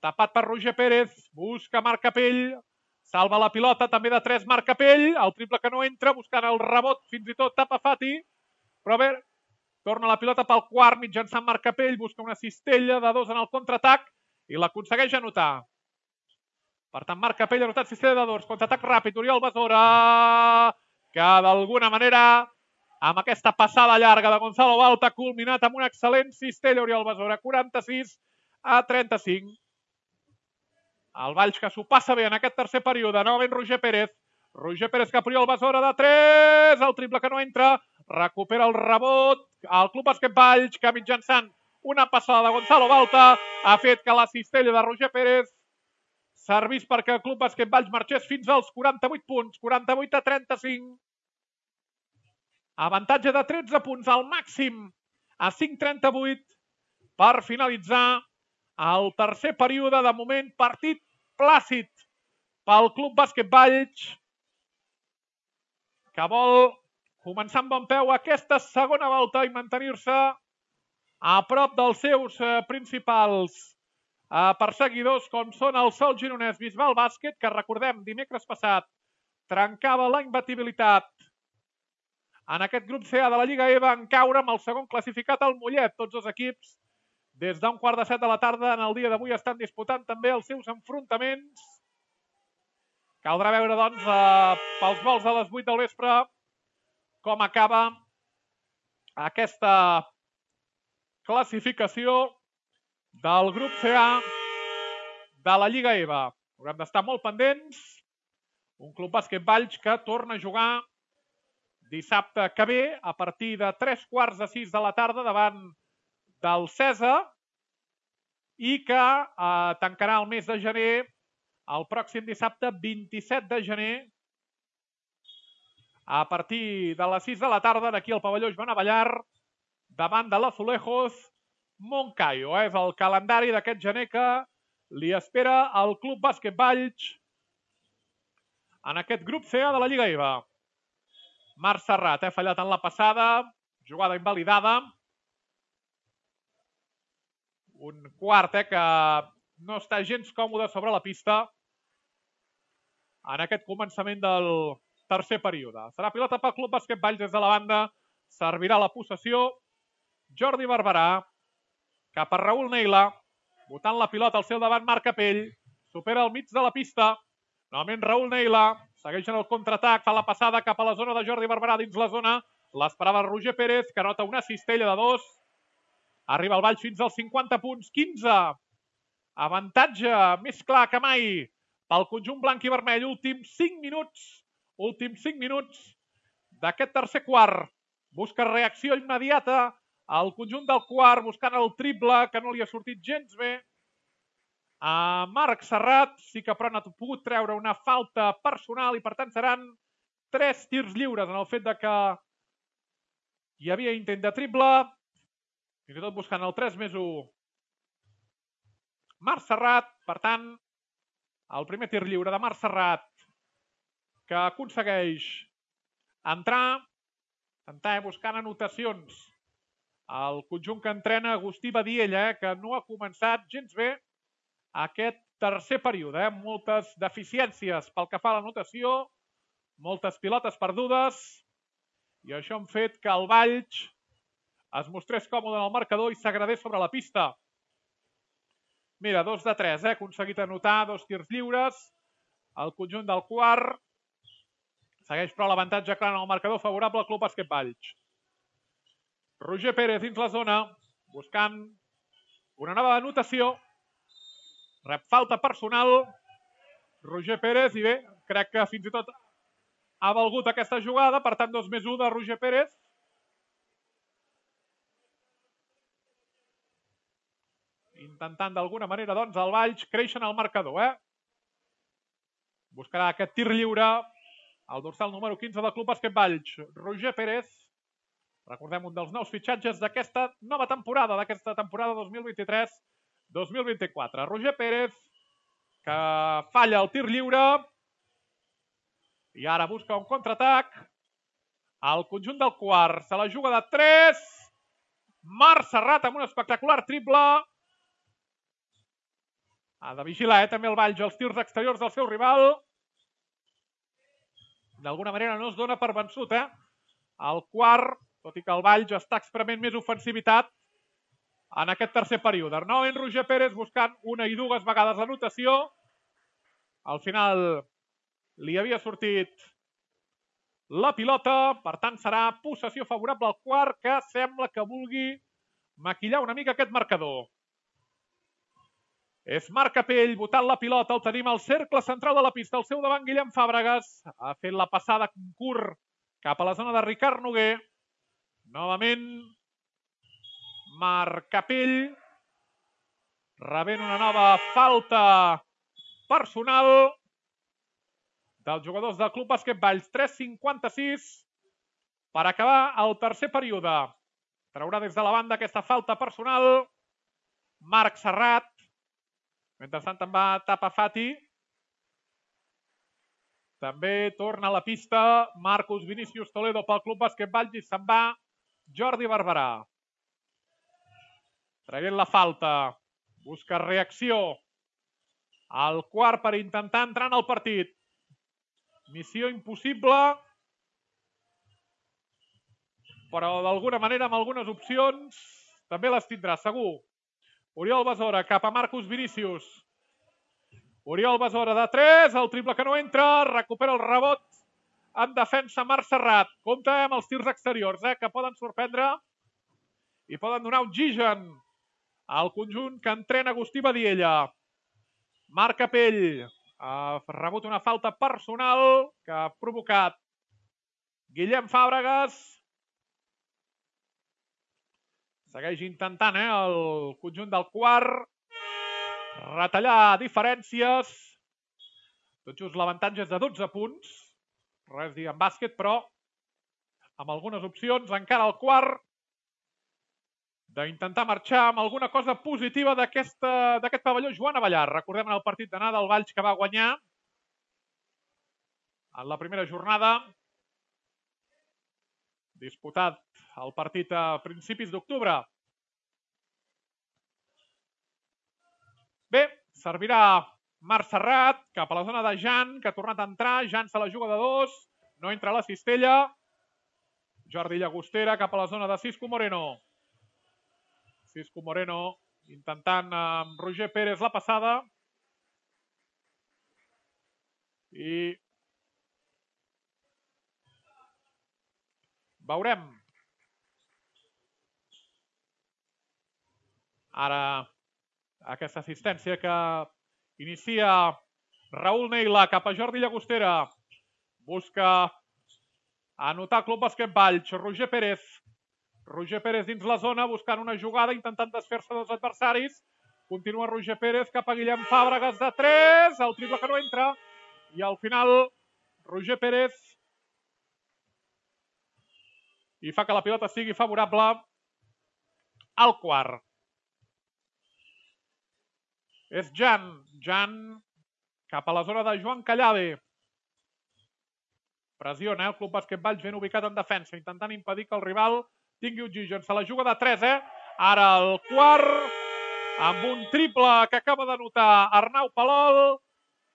Tapat per Roger Pérez, busca Marc Capell, salva la pilota, també de tres Marc Capell, el triple que no entra, buscant el rebot, fins i tot tapa Fati, però bé, torna la pilota pel quart mitjançant Marc Capell, busca una cistella de dos en el contraatac i l'aconsegueix anotar. Per tant, Marc Capell ha anotat cistella de dos, contraatac ràpid, Oriol Besora, que d'alguna manera, amb aquesta passada llarga de Gonzalo Balta, ha culminat amb una excel·lent cistella Oriol Besora, quaranta-sis a trenta-cinc. El Valls que s'ho passa bé en aquest tercer període, novament Roger Pérez. Roger Pérez cap Oriol Besora de tres, el triple que no entra, recupera el rebot. El Club Bàsquet Valls que mitjançant una passada de Gonzalo Balta ha fet que la cistella de Roger Pérez servís perquè el Club Bàsquet Valls marxés fins als quaranta-vuit punts, quaranta-vuit a trenta-cinc. Avantatge de tretze punts al màxim a cinc trenta-vuit per finalitzar el tercer període. De moment, partit plàcid pel Club Bàsquet Valls, que vol començar amb bon peu aquesta segona volta i mantenir-se a prop dels seus principals perseguidors, com són el Sol Gironès Bisbal Bàsquet, que recordem, dimecres passat trencava la imbatibilitat en aquest grup C A de la Lliga E V A en caure amb el segon classificat, el Mollet. Tots els equips, des d'un quart de set de la tarda en el dia d'avui, estan disputant també els seus enfrontaments. Caldrà veure, doncs, pels vols de les vuit del vespre, com acaba aquesta classificació del grup C A de la Lliga E V A. Haurem d'estar molt pendents. Un Club Bàsquet Valls que torna a jugar dissabte que ve a partir de tres quarts de sis de la tarda davant del Cesa i que eh, tancarà el mes de gener el pròxim dissabte vint-i-set de gener a partir de les sis de la tarda aquí al pavelló Joan Abellar davant de l'Azulejos Moncayo. És el calendari d'aquest gener que li espera al Club Bàsquet Valls en aquest grup C A de la Lliga E V A. Marc Serrat ha fallat en la passada, jugada invalidada. Un quart eh, que no està gens còmode sobre la pista en aquest començament del tercer període. Serà pilota pel Club Bàsquet Valls des de la banda. Servirà la possessió Jordi Barberà cap a Raül Neila. Botant la pilota al seu davant Marc Capell. Supera el mig de la pista. Novament Raül Neila. Segueix en el contraatac. Fa la passada cap a la zona de Jordi Barberà dins la zona. L'esperava Roger Pérez, que anota una cistella de dos. Arriba el Valls fins als cinquanta punts. quinze. Avantatge més clar que mai pel conjunt blanc i vermell. Últims cinc minuts. Últims cinc minuts d'aquest tercer quart. Busca reacció immediata al conjunt del quart, buscant el triple, que no li ha sortit gens bé. A Marc Serrat sí que però ha pogut treure una falta personal i per tant seran tres tirs lliures en el fet de que hi havia intent de triple. Fins i tot buscant el tres més u. Marc Serrat, per tant, el primer tir lliure de Marc Serrat que aconsegueix entrar, entrar buscant anotacions. El conjunt que entrena Agustí Badiella, eh, que no ha començat gens bé aquest tercer període. Eh? Moltes deficiències pel que fa a l'anotació, moltes pilotes perdudes, i això ha fet que el Valls es mostrés còmode en el marcador i s'agradés sobre la pista. Mira, dos de tres, eh? ha aconseguit anotar dos tirs lliures. El conjunt del quart segueix però l'avantatge clar en el marcador favorable al Club Bàsquet Valls. Roger Pérez dins la zona, buscant una nova anotació. Rep falta personal. Roger Pérez, i bé, crec que fins i tot ha valgut aquesta jugada, per tant dos més u de Roger Pérez. Intentant d'alguna manera, doncs, el Valls créixer en el marcador, eh? Buscarà aquest tir lliure el dorsal número quinze del Club Bàsquet Valls, Roger Pérez. Recordem, un dels nous fitxatges d'aquesta nova temporada, d'aquesta temporada dos mil vint-i-tres dos mil vint-i-quatre. Roger Pérez, que falla el tir lliure i ara busca un contraatac El conjunt del quart se la juga de tres. Marc Serrat amb un espectacular triple. Ha de vigilar, eh, també el Valls, els tirs exteriors del seu rival. D'alguna manera no es dona per vençut, eh? El quart, tot i que el Valls està experimentant més ofensivitat en aquest tercer període. Novament Roger Pérez buscant una i dues vegades l'anotació. Al final li havia sortit la pilota, per tant serà possessió favorable al quart, que sembla que vulgui maquillar una mica aquest marcador. És Marc Capell botant la pilota, el tenim al cercle central de la pista, al seu davant Guillem Fàbregas, ha fet la passada curt cap a la zona de Ricard Noguer. Novament Marc Capell rebent una nova falta personal dels jugadors del Club Bàsquet Valls. tres cinquanta-sis per acabar el tercer període. Traurà des de la banda aquesta falta personal Marc Serrat. Mentrestant en va Tapa Fati. També torna a la pista Marcus Vinícius Toledo pel Club Bàsquet Valls i se'n va Jordi Barberà. Traient la falta. Busca reacció. El quart per intentar entrar en el partit. Missió impossible. Però d'alguna manera amb algunes opcions també les tindrà, segur. Oriol Besora cap a Marcus Vinícius. Oriol Besora de tres, el triple que no entra, recupera el rebot en defensa Marc Serrat. Compte amb els tirs exteriors, eh, que poden sorprendre i poden donar oxigen al conjunt que entrena Agustí Badiella. Marc Capell ha rebut una falta personal que ha provocat Guillem Fàbregas. Segueix intentant, eh, el conjunt del quart retallar diferències. Tot just l'avantatge és de dotze punts. Res dir en bàsquet, però amb algunes opcions encara el quart d'intentar marxar amb alguna cosa positiva d'aquest pavelló Joan Abellar. Recordem en el partit d'anada el Valls que va guanyar en la primera jornada. Disputat el partit a principis d'octubre. Bé, servirà Marc Serrat cap a la zona de Jan, que ha tornat a entrar. Jan se la juga de dos. No entra a la cistella. Jordi Llagostera cap a la zona de Cisco Moreno. Cisco Moreno intentant amb Roger Pérez la passada. I veurem. Ara aquesta assistència que inicia Raül Neila cap a Jordi Llagostera. Busca anotar Club Bàsquet Valls. Roger Pérez. Roger Pérez dins la zona buscant una jugada, intentant desfer-se dels adversaris. Continua Roger Pérez cap a Guillem Fàbregas de tres. El triple que no entra. I al final Roger Pérez i fa que la pilota sigui favorable al quart. És Jan. Jan cap a la zona de Joan Callade. Pressiona, eh? El Club Bàsquet Valls ben ubicat en defensa, intentant impedir que el rival tingui oxigen. Se la juga de tres, eh? Ara el quart, amb un triple que acaba d'anotar Arnau Palol,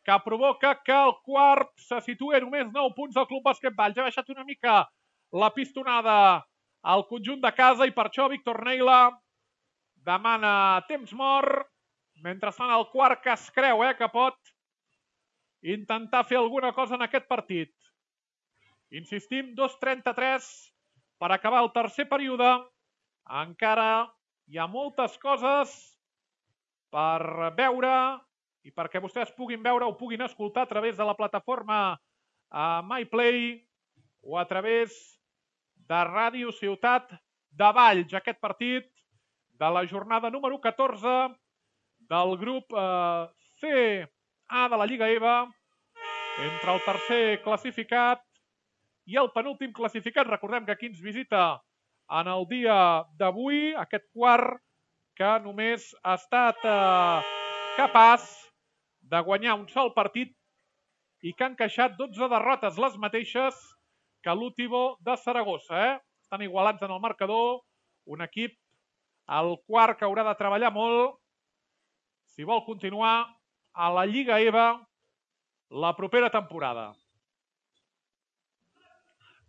que provoca que el quart se situï a només nou punts del Club Bàsquet Valls. Ha baixat una mica la pistonada al conjunt de casa i per això Víctor Neila demana temps mort. Mentrestant el quart que es creu, eh, que pot intentar fer alguna cosa en aquest partit. Insistim, dos trenta-tres per acabar el tercer període. Encara hi ha moltes coses per veure i perquè vostès puguin veure o puguin escoltar a través de la plataforma uh, MyPlay o a través de Ràdio Ciutat de Valls. Aquest partit de la jornada número catorze del grup uh, C A de la Lliga E V A entre el tercer classificat i el penúltim classificat. Recordem que aquí ens visita en el dia d'avui aquest quart que només ha estat eh, capaç de guanyar un sol partit i que ha encaixat dotze derrotes, les mateixes que l'Útibo de Saragossa. Eh? Estan igualats en el marcador. Un equip, el quart, que haurà de treballar molt si vol continuar a la Lliga E V A la propera temporada.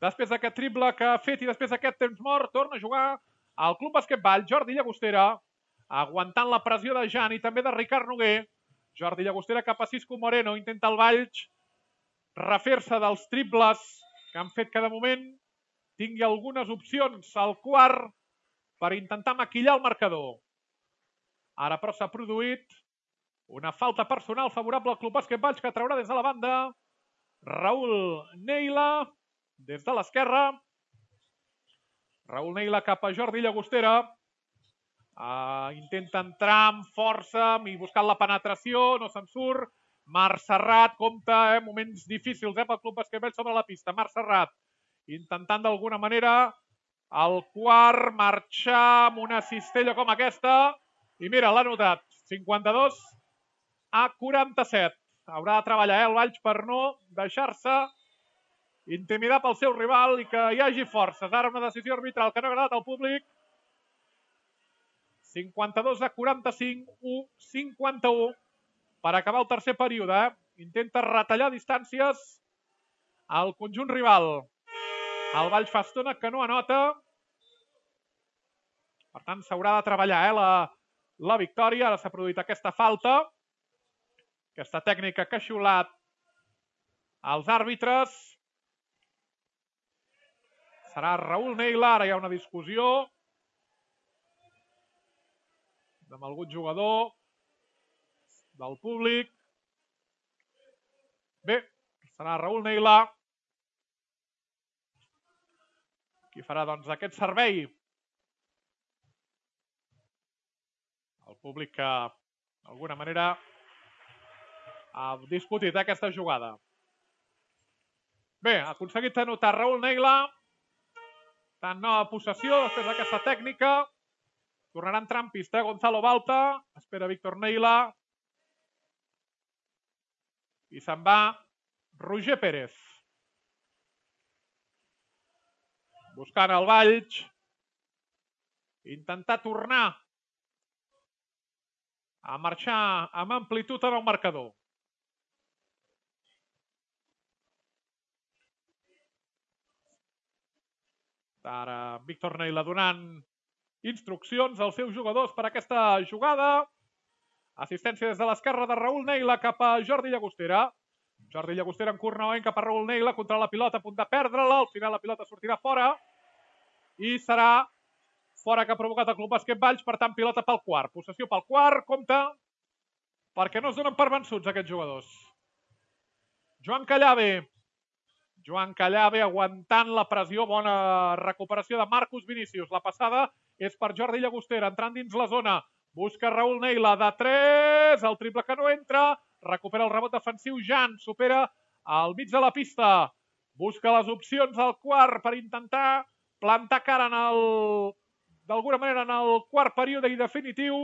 Després d'aquest triple que ha fet i després d'aquest temps mort, torna a jugar al Club Bàsquet Valls, Jordi Llagostera, aguantant la pressió de Jan i també de Ricard Noguer. Jordi Llagostera cap a Cisco Moreno, intenta el Valls refer-se dels triples que han fet que de moment tingui algunes opcions al quart per intentar maquillar el marcador. Ara però s'ha produït una falta personal favorable al Club Bàsquet Valls que traurà des de la banda Raül Neila des de l'esquerra. Raül Neila cap a Jordi Llagostera. Uh, intenta entrar amb força i buscant la penetració, no se'n surt. Marc Serrat compta, eh, moments difícils eh, pel Club Bàsquet Valls sobre la pista. Marc Serrat intentant d'alguna manera el quart marxar amb una cistella com aquesta i mira, l'ha notat, cinquanta-dos a quaranta-set. Haurà de treballar eh, el Valls per no deixar-se intimidar pel seu rival i que hi hagi forces. Ara una decisió arbitral que no ha agradat al públic. cinquanta-dos a quaranta-cinc, u cinquanta-u per acabar el tercer període. Eh? Intenta retallar distàncies al conjunt rival. El Valls fa estona que no anota. Per tant, s'haurà de treballar eh, la, la victòria. Ara s'ha produït aquesta falta. Aquesta tècnica que ha xiulat els àrbitres. Serà Raül Neila. Ara hi ha una discussió amb algun jugador del públic. Bé, serà Raül Neila qui farà doncs aquest servei. El públic que d'alguna manera ha discutit aquesta jugada. Bé, ha aconseguit anotar Raül Neila. Tant nova possessió després d'aquesta tècnica. Tornarà a entrar en pista Gonzalo Balta. Espera Víctor Neila. I se'n va Roger Pérez. Buscant el Valls. Intentar tornar a marxar amb amplitud en el marcador. Ara Víctor Neila donant instruccions als seus jugadors per aquesta jugada. Assistència des de l'esquerra de Raül Neila cap a Jordi Llagostera. Jordi Llagostera en curt novament cap a Raül Neila contra la pilota, a punt de perdre-la. Al final la pilota sortirà fora i serà fora que ha provocat el Club Bàsquet Valls. Per tant, pilota pel quart. Possessió pel quart. Compte perquè no es donen per vençuts aquests jugadors. Joan Callave. Joan Callave aguantant la pressió. Bona recuperació de Marcus Vinícius. La passada és per Jordi Llagostera, entrant dins la zona. Busca Raül Neila de tres. El triple que no entra. Recupera el rebot defensiu. Jan supera al mig de la pista. Busca les opcions al quart per intentar plantar cara en el, d'alguna manera en el quart període i definitiu.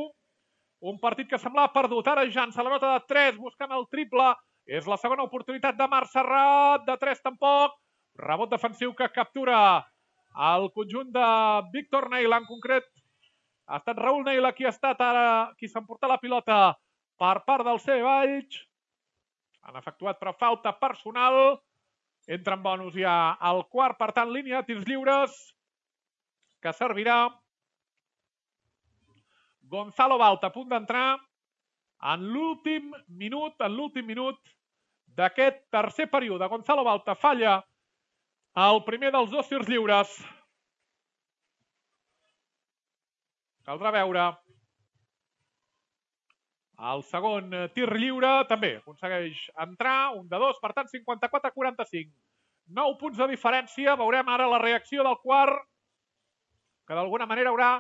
Un partit que semblava perdut. Ara Jan se la nota de tres buscant el triple. És la segona oportunitat de Marc Serrat. De tres tampoc. Rebot defensiu que captura el conjunt de Víctor Neila. En concret ha estat Raül Neila qui ha estat ara qui s'ha emportat la pilota per part del C Valls. Han efectuat però falta personal. Entra en bonus ja al quart. Per tant, línia de tirs lliures que servirà Gonzalo Balta, a punt d'entrar en l'últim minut, en l'últim minut d'aquest tercer període. Gonzalo Balta falla el primer dels dos tirs lliures. Caldrà veure. El segon tir lliure també aconsegueix entrar, un de dos, per tant cinquanta-quatre a quaranta-cinc. nou punts de diferència. Veurem ara la reacció del quart, que d'alguna manera haurà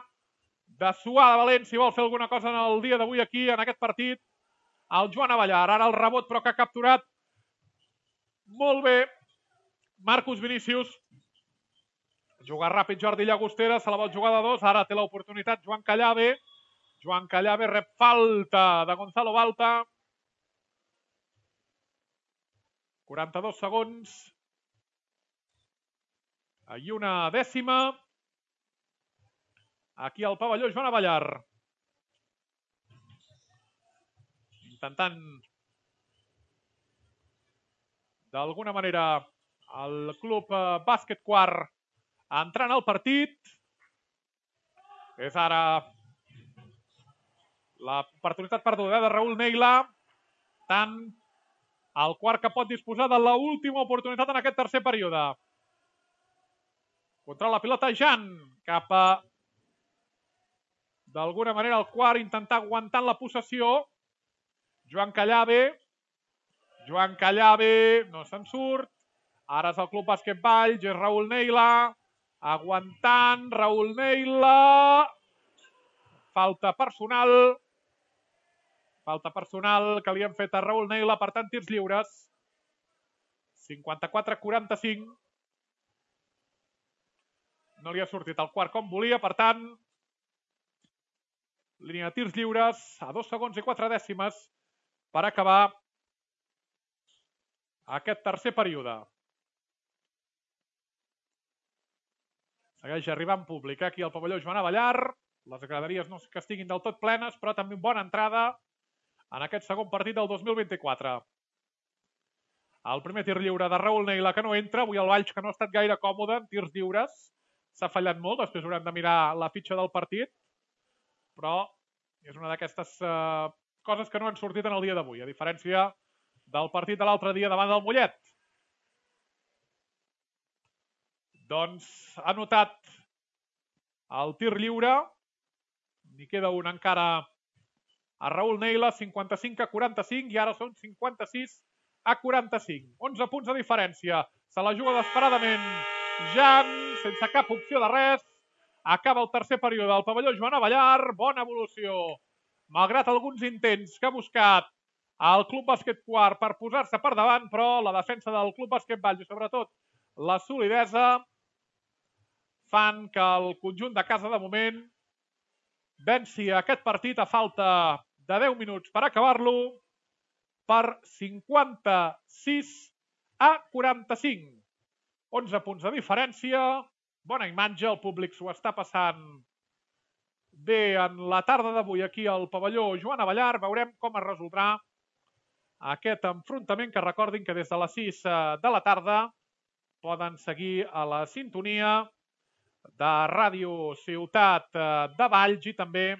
de suar de valent si vol fer alguna cosa en el dia d'avui aquí, en aquest partit, el Joan Avellar. Ara el rebot però que ha capturat molt bé Marcus Vinícius. Juga ràpid Jordi Llagostera, se la vol jugar de dos, ara té l'oportunitat Joan Callave. Joan Callave rep falta de Gonzalo Balta. quaranta-dos segons. i una dècima aquí al pavelló Joan Avellar. Intentant d'alguna manera el club bàsquet quart entrant al partit. És ara l'oportunitat perduda de Raül Neila. Tant el quart que pot disposar de l'última oportunitat en aquest tercer període. Controla la pilota Jan cap a d'alguna manera el quart intentar aguantant la possessió. Joan Callave. Joan Callave no se'n surt. Ara és el club bàsquet Valls, és Raül Neila. Aguantant, Raül Neila. Falta personal. Falta personal que li han fet a Raül Neila, per tant, tirs lliures. cinquanta-quatre a quaranta-cinc. No li ha sortit el quart com volia, per tant, línia de tirs lliures a dos segons i quatre dècimes per acabar aquest tercer període. Segueix arribant públic aquí al pavelló Joan Avellar. Les graderies no que estiguin del tot plenes, però també bona entrada en aquest segon partit del dos mil vint-i-quatre. El primer tir lliure de Raül Neila que no entra. Avui el Valls que no ha estat gaire còmode en tirs lliures. S'ha fallat molt, després haurem de mirar la fitxa del partit. Però és una d'aquestes eh, coses que no han sortit en el dia d'avui, a diferència del partit de l'altre dia davant del Mollet. Doncs ha notat el tir lliure. N'hi queda un encara a Raül Neila, cinquanta-cinc a quaranta-cinc, i ara són cinquanta-sis a quaranta-cinc. onze punts de diferència. Se la juga desesperadament Jan, sense cap opció de res. Acaba el tercer període del pavelló Joan Avellar. Bona evolució. Malgrat alguns intents que ha buscat el Club Bàsquet Quart per posar-se per davant, però la defensa del Club Bàsquet Valls i sobretot la solidesa fan que el conjunt de casa de moment venci aquest partit a falta de deu minuts per acabar-lo per cinquanta-sis a quaranta-cinc. onze punts de diferència. Bona imatge, el públic s'ho està passant bé en la tarda d'avui aquí al pavelló Joan Avellar. Veurem com es resoldrà aquest enfrontament, que recordin que des de les sis de la tarda poden seguir a la sintonia de Ràdio Ciutat de Valls, i també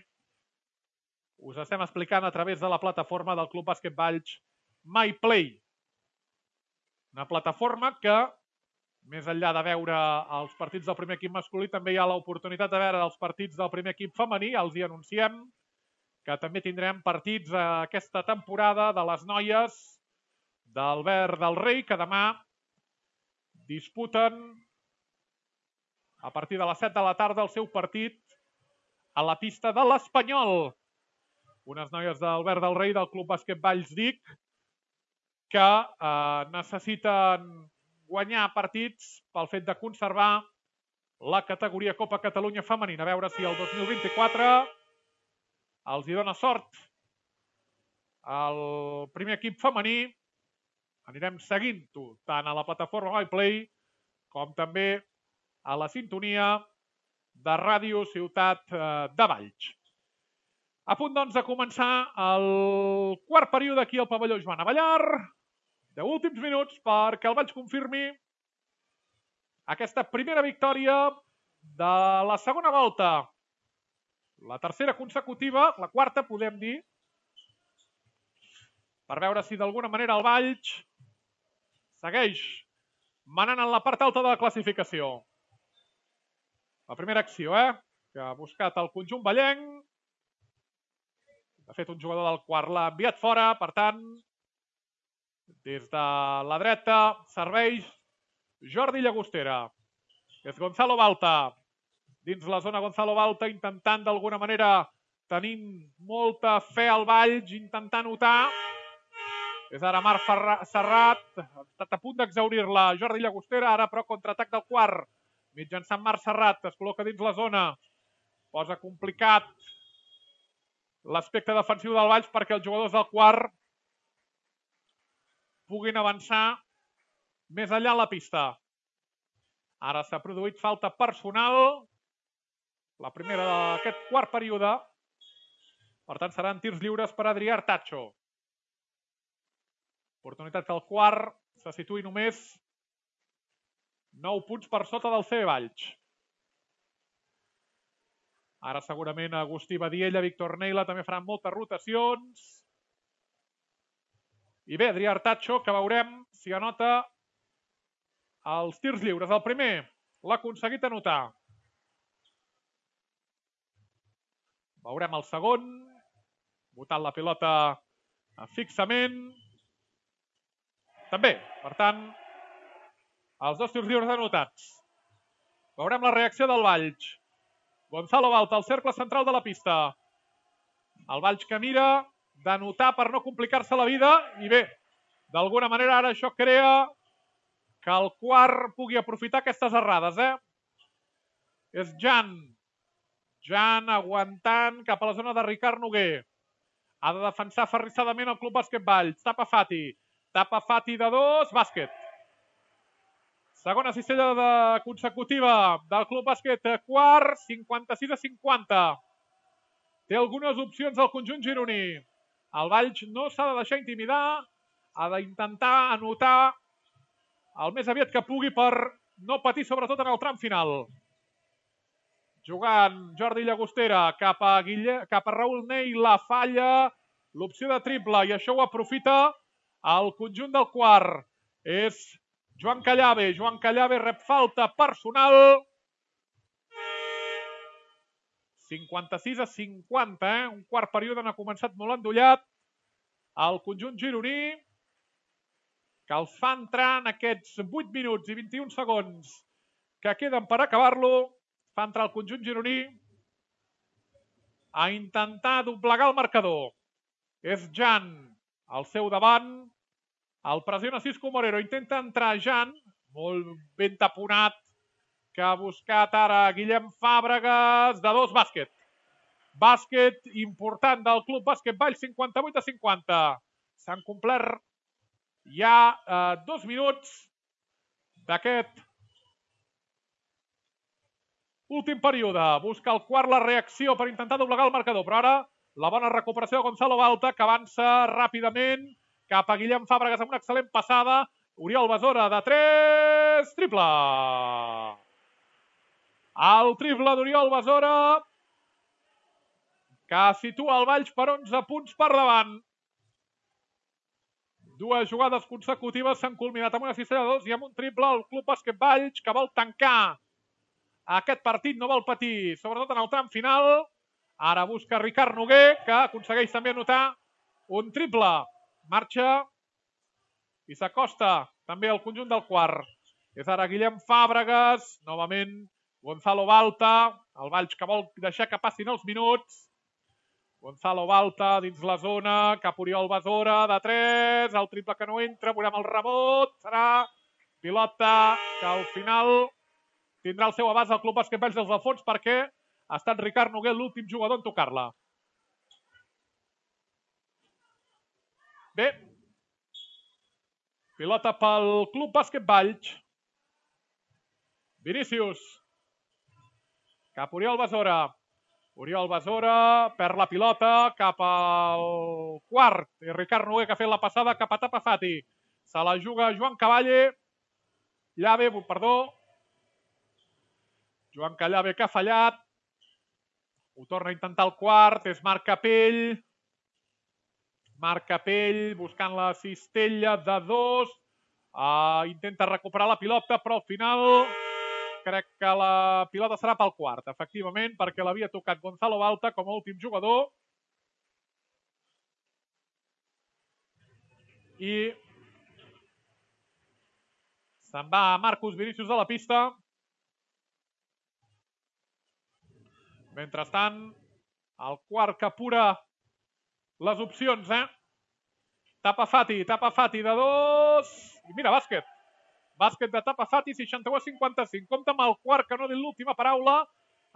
us estem explicant a través de la plataforma del Club Bàsquet Valls MyPlay. Una plataforma que, més enllà de veure els partits del primer equip masculí, també hi ha l'oportunitat de veure els partits del primer equip femení. Els hi anunciem que també tindrem partits aquesta temporada de les noies del Verd del Rei, que demà disputen a partir de les set de la tarda el seu partit a la pista de l'Espanyol. Unes noies del Verd del Rei del Club Bàsquet Valls Dic que eh, necessiten guanyar partits pel fet de conservar la categoria Copa Catalunya femenina. A veure si el dos mil vint-i-quatre els hi dona sort el primer equip femení. Anirem seguint-ho tant a la plataforma MyPlay com també a la sintonia de Ràdio Ciutat de Valls. A punt, doncs, de començar el quart període aquí al pavelló Joan Avellar. De últims minuts perquè el Valls confirmi aquesta primera victòria de la segona volta. La tercera consecutiva, la quarta, podem dir, per veure si d'alguna manera el Valls segueix manant en la part alta de la classificació. La primera acció, eh? Que ha buscat el conjunt vallenc. De fet, un jugador del quart l'ha enviat fora, per tant, des de la dreta serveix Jordi Llagostera. És Gonzalo Balta. Dins la zona Gonzalo Balta, intentant d'alguna manera, tenint molta fe al Valls, intentant notar. És ara Marc Serrat, ha estat a punt d'exaurir-la Jordi Llagostera, ara però contraatac del quart. Mitjançant Marc Serrat, es col·loca dins la zona. Posa complicat l'aspecte defensiu del Valls perquè els jugadors del quart puguin avançar més enllà en la pista. Ara s'ha produït falta personal. La primera d'aquest quart període. Per tant, seran tirs lliures per Adrià Artacho. Oportunitat que el quart se situï només nou punts per sota del C B Valls. Ara segurament Agustí Badiella, Víctor Neila també faran moltes rotacions. I bé, Adrià Artacho, que veurem si anota els tirs lliures. El primer l'ha aconseguit anotar. Veurem el segon. Botant la pilota fixament. També, per tant, els dos tirs lliures anotats. Veurem la reacció del Valls. Gonzalo Balta, al cercle central de la pista. El Valls que mira d'anotar per no complicar-se la vida. I bé, d'alguna manera ara això crea que el quart pugui aprofitar aquestes errades, eh? És Jan. Jan aguantant cap a la zona de Ricard Noguer. Ha de defensar aferrissadament el Club Bàsquet Valls. Tapa Fati. Tapa Fati de dos. Bàsquet. Segona cistella de consecutiva del Club Bàsquet quart. cinquanta-sis a cinquanta. Té algunes opcions al conjunt gironí. El Valls no s'ha de deixar intimidar. Ha d'intentar anotar el més aviat que pugui per no patir, sobretot en el tram final. Jugant Jordi Llagostera cap a, Guille, cap a Raül Ney, la falla, l'opció de triple, i això ho aprofita el conjunt del quart. És Joan Callave. Joan Callave rep falta personal. cinquanta-sis a cinquanta, eh? Un quart període n'ha començat molt endollat. El conjunt gironí, que els fa entrar en aquests vuit minuts i vint-i-un segons que queden per acabar-lo, fa entrar el conjunt gironí a intentar doblegar el marcador. És Jan al seu davant. El pressiona Cisco Moreno. Intenta entrar Jan, molt ben taponat, que ha buscat ara Guillem Fàbregas, de dos. Bàsquet. Bàsquet important del Club Bàsquet Valls, cinquanta-vuit a cinquanta. S'han complert ja eh, dos minuts d'aquest últim període. Busca el quart la reacció per intentar doblegar el marcador, però ara la bona recuperació de Gonzalo Balta, que avança ràpidament cap a Guillem Fàbregas amb una excel·lent passada. Oriol Besora de tres, triple. El triple d'Oriol Besora, que situa el Valls per onze punts per davant. Dues jugades consecutives s'han culminat amb una cistella de dos i amb un triple. El Club Bàsquet Valls, que vol tancar aquest partit, no vol patir, sobretot en el tram final. Ara busca Ricard Noguer, que aconsegueix també anotar un triple. Marxa i s'acosta també al conjunt del quart. És ara Guillem Fàbregas, novament Gonzalo Balta, el Valls que vol deixar que passin els minuts. Gonzalo Balta dins la zona, cap Oriol Besora, de tres, el triple que no entra, veurem el rebot, serà pilota que al final tindrà el seu abast al Club Bàsquet Valls des del fons, perquè ha estat Ricard Noguer l'últim jugador en tocar-la. Bé, pilota pel Club Bàsquet Valls. Vinícius, cap Oriol Besora. Oriol Besora perd la pilota cap al quart. I Ricard Noguer, que ha fet la passada cap a Tapa Fati. Se la juga Joan Cavalle. Llave, perdó. Joan Callave, que ha fallat. Ho torna a intentar el quart. És Marc Capell. Marc Capell buscant la cistella de dos. Uh, intenta recuperar la pilota, però al final crec que la pilota serà pel quart, efectivament, perquè l'havia tocat Gonzalo Balta com a últim jugador. I se'n va Marcus Vinícius de la pista. Mentrestant, el quart que apura les opcions, eh? Tapa Fati, Tapa Fati de dos. I mira, bàsquet. Bàsquet de Tapa Fati, seixanta-u a cinquanta-cinc. Compte amb el quart, que no ha dit l'última paraula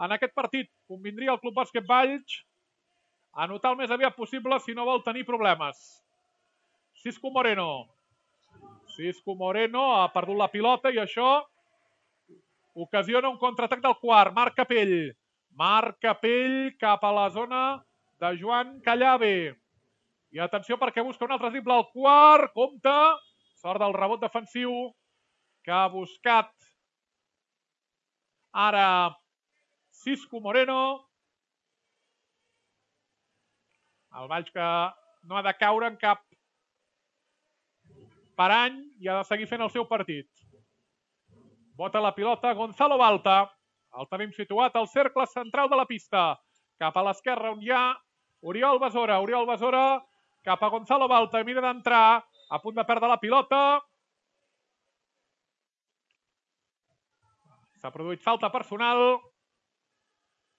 en aquest partit. Convindria el Club Bàsquet Valls anotar el més aviat possible si no vol tenir problemes. Cisco Moreno. Cisco Moreno ha perdut la pilota i això ocasiona un contraatac del quart. Marc Capell. Marc Capell cap a la zona de Joan Callave. I atenció perquè busca un altre triple al quart. Compte. Sort del rebot defensiu que ha buscat ara Cisco Moreno. El Valls que no ha de caure en cap parany i ha de seguir fent el seu partit. Bota la pilota Gonzalo Balta. El tenim situat al cercle central de la pista. Cap a l'esquerra on hi ha Oriol Besora. Oriol Besora cap a Gonzalo Balta. Mira d'entrar. A punt de perdre la pilota. S'ha produït falta personal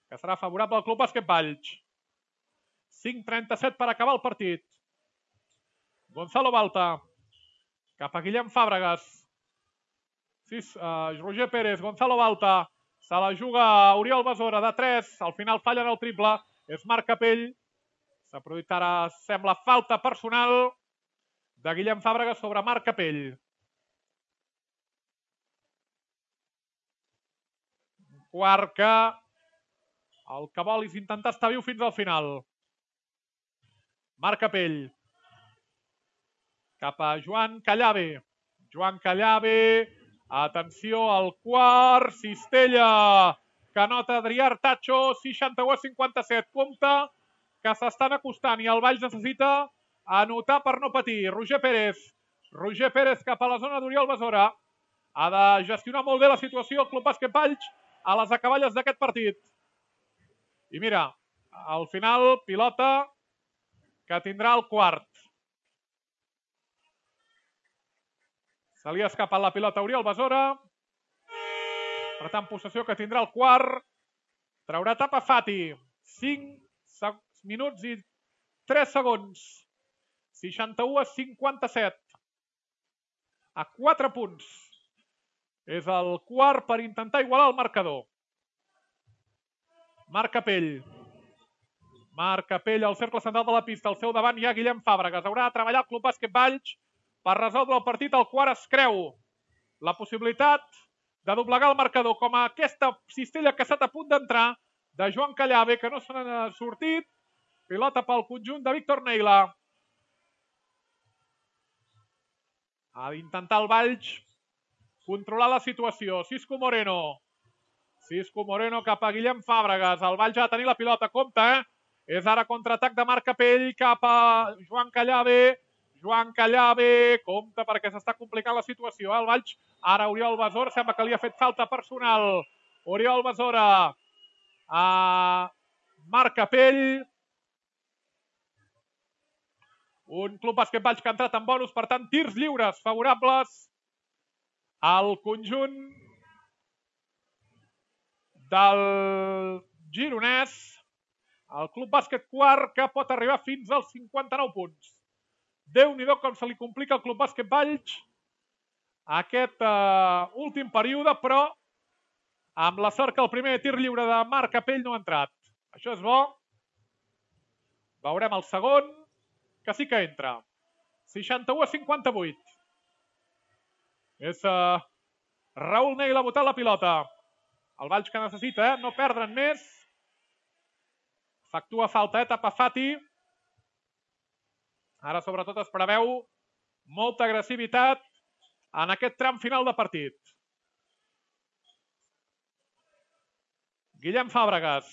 que serà favorable al Club Bàsquet Valls. cinc trenta-set per acabar el partit. Gonzalo Balta cap a Guillem Fàbregas. Sis, uh, Roger Pérez, Gonzalo Balta. Se la juga Oriol Besora de tres. Al final fallen el triple. És Marc Capell. S'ha produït ara, sembla, falta personal de Guillem Fàbregas sobre Marc Capell. Quart que el que vol és intentar estar viu fins al final. Marc Capell. Cap a Joan Callave. Joan Callave. Atenció al quart. Cistella. Que nota Adrià Artacho. seixanta-u a cinquanta-set. Compte que s'estan acostant i el Valls necessita anotar per no patir. Roger Pérez. Roger Pérez cap a la zona d'Oriol Besora. Ha de gestionar molt bé la situació el Club Bàsquet Valls a les acaballes d'aquest partit. I mira, al final, pilota que tindrà el quart. Se li ha escapat la pilota a Oriol Besora. Per tant, possessió que tindrà el quart. Traurà tapa Fati. cinc minuts i tres segons. seixanta-u a cinquanta-set. A quatre punts. És el quart per intentar igualar el marcador. Marc Capell. Marc Capell al cercle central de la pista. Al seu davant hi ha Guillem Fàbregas. Haurà de treballar el Club Bàsquet Valls per resoldre el partit. El quart es creu la possibilitat de doblegar el marcador, com a aquesta cistella que ha estat a punt d'entrar de Joan Callave, que no se n'ha sortit. Pilota pel conjunt de Víctor Neila. Ha d'intentar el Valls controlar la situació. Cisco Moreno. Cisco Moreno cap a Guillem Fàbregas. El Valls ha de tenir la pilota. Compte, eh? És ara contraatac de Marc Capell cap a Joan Callave. Joan Callave. Compte perquè s'està complicant la situació. El Valls, ara Oriol Besora. Sembla que li ha fet falta personal. Oriol Besora. A Marc Capell. Un Club Bàsquet Valls que ha entrat en bonus. Per tant, tirs lliures favorables al conjunt del gironès. El Club Bàsquet quart que pot arribar fins als cinquanta-nou punts. Déu-n'hi-do com se li complica al Club Bàsquet Valls aquest uh, últim període, però amb la sort que el primer tir lliure de Marc Capell no ha entrat. Això és bo. Veurem el segon, que sí que entra. seixanta-u a cinquanta-vuit. És uh, Raül Neila botant la pilota. El Valls que necessita, eh? No perdre'n més. Efectua falta, eh? Tapa Fati. Ara, sobretot, es preveu molta agressivitat en aquest tram final de partit. Guillem Fàbregas.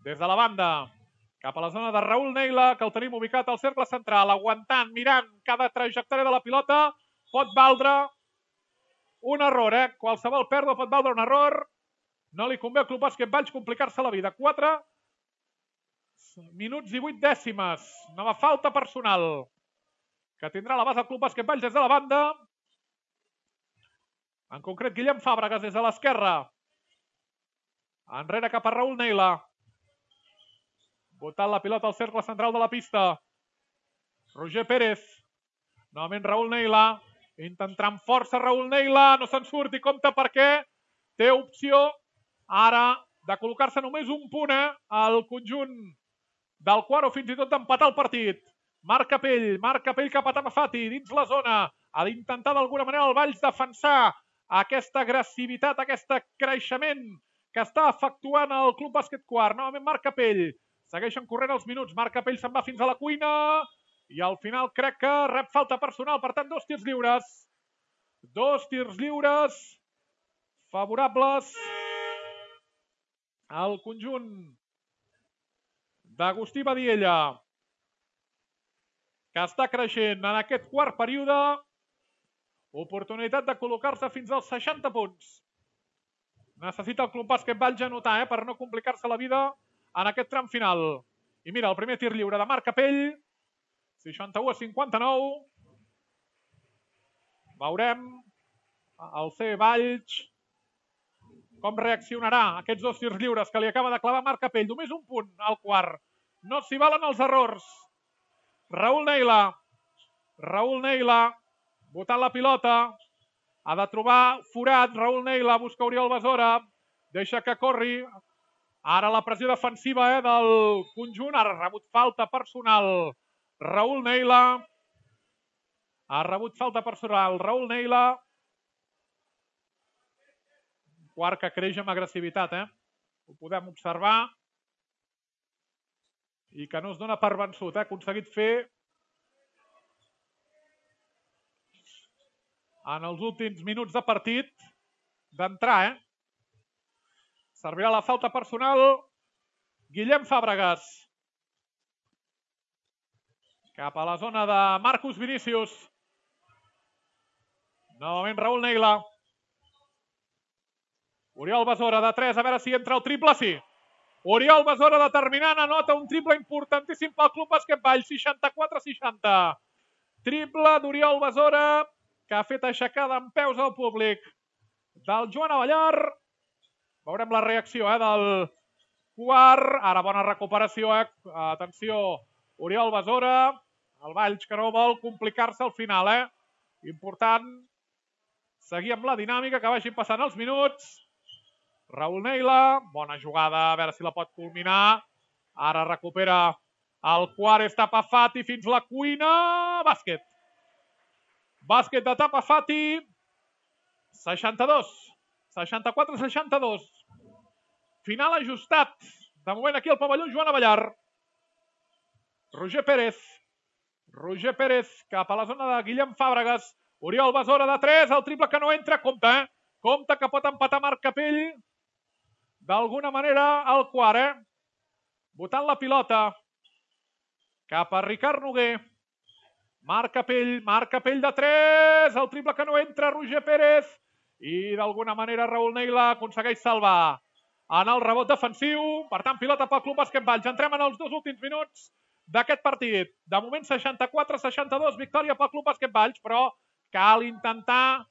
Des de la banda, cap a la zona de Raül Neila, que el tenim ubicat al cercle central, aguantant, mirant cada trajectòria de la pilota. Pot valdre un error, eh? Qualsevol pèrdua pot valdre un error. No li convé al Club Bàsquet Valls complicar-se la vida. quatre minuts i vuit dècimes. Nova falta personal que tindrà la base del Club Bàsquet Valls des de la banda. En concret, Guillem Fàbregas des de l'esquerra. Enrere cap a Raül Neila. Botant la pilota al cercle central de la pista. Roger Pérez. Novament Raül Neila. Intentarà amb força Raül Neila. No se'n surt i compta perquè té opció ara de col·locar-se només un punt eh, al conjunt del quart o fins i tot d'empatar el partit. Marc Capell. Marc Capell cap a Tapa Fati dins la zona. Ha d'intentar d'alguna manera el Valls defensar aquesta agressivitat, aquest creixement que està efectuant el Club Bàsquet Quart. Novament Marc Capell. Segueixen corrent els minuts. Marc Capell se'n va fins a la cuina i al final crec que rep falta personal. Per tant, dos tirs lliures. Dos tirs lliures favorables al conjunt d'Agustí Badiella, que està creixent en aquest quart període. Oportunitat de col·locar-se fins als seixanta punts. Necessita el Club Bàsquet Valls anotar, eh, per no complicar-se la vida en aquest tram final. I mira, el primer tir lliure de Marc Capell. seixanta-u a cinquanta-nou. Veurem el C. Valls com reaccionarà a aquests dos tirs lliures que li acaba de clavar Marc Capell. Només un punt al quart. No s'hi valen els errors. Raül Neila. Raül Neila botant la pilota. Ha de trobar forat. Raül Neila busca Oriol Besora. Deixa que corri. Ara la pressió defensiva eh, del conjunt. Ara ha rebut falta personal. Raül Neila. Ha rebut falta personal. Raül Neila. Quart que creix amb agressivitat, eh? Ho podem observar. I que no es dona per vençut, eh? Ha aconseguit fer en els últims minuts de partit d'entrar, eh? Servirà la falta personal Guillem Fàbregas. Cap a la zona de Marcus Vinícius. Novament Raül Neila. Oriol Besora de tres, a veure si entra el triple, sí. Oriol Besora determinant, anota un triple importantíssim pel Club Bàsquet Valls, seixanta-quatre a seixanta. Triple d'Oriol Besora, que ha fet aixecada en peus al públic del Joan Abellar. Veurem la reacció eh, del quart. Ara bona recuperació, eh? Atenció, Oriol Besora. El Valls que no vol complicar-se al final, eh? Important seguir amb la dinàmica, que vagin passant els minuts. Raül Neila, bona jugada, a veure si la pot culminar. Ara recupera el quart, és Tapa Fati fins la cuina. Bàsquet. Bàsquet de Tapa Fati. seixanta-dos. seixanta-quatre a seixanta-dos. Final ajustat. De moment aquí al pavelló Joan Abellar. Roger Pérez. Roger Pérez cap a la zona de Guillem Fàbregas. Oriol Besora de tres, el triple que no entra. Compte, eh? Compte que pot empatar Marc Capell. D'alguna manera al quart, eh? Botant la pilota. Cap a Ricard Noguer. Marc Capell, Marc Capell de tres, el triple que no entra, Roger Pérez. I d'alguna manera Raül Neila aconsegueix salvar en el rebot defensiu. Per tant, pilota pel Club Bàsquet Valls. Entrem en els dos últims minuts d'aquest partit. De moment seixanta-quatre a seixanta-dos, victòria pel Club Bàsquet Valls, però cal intentar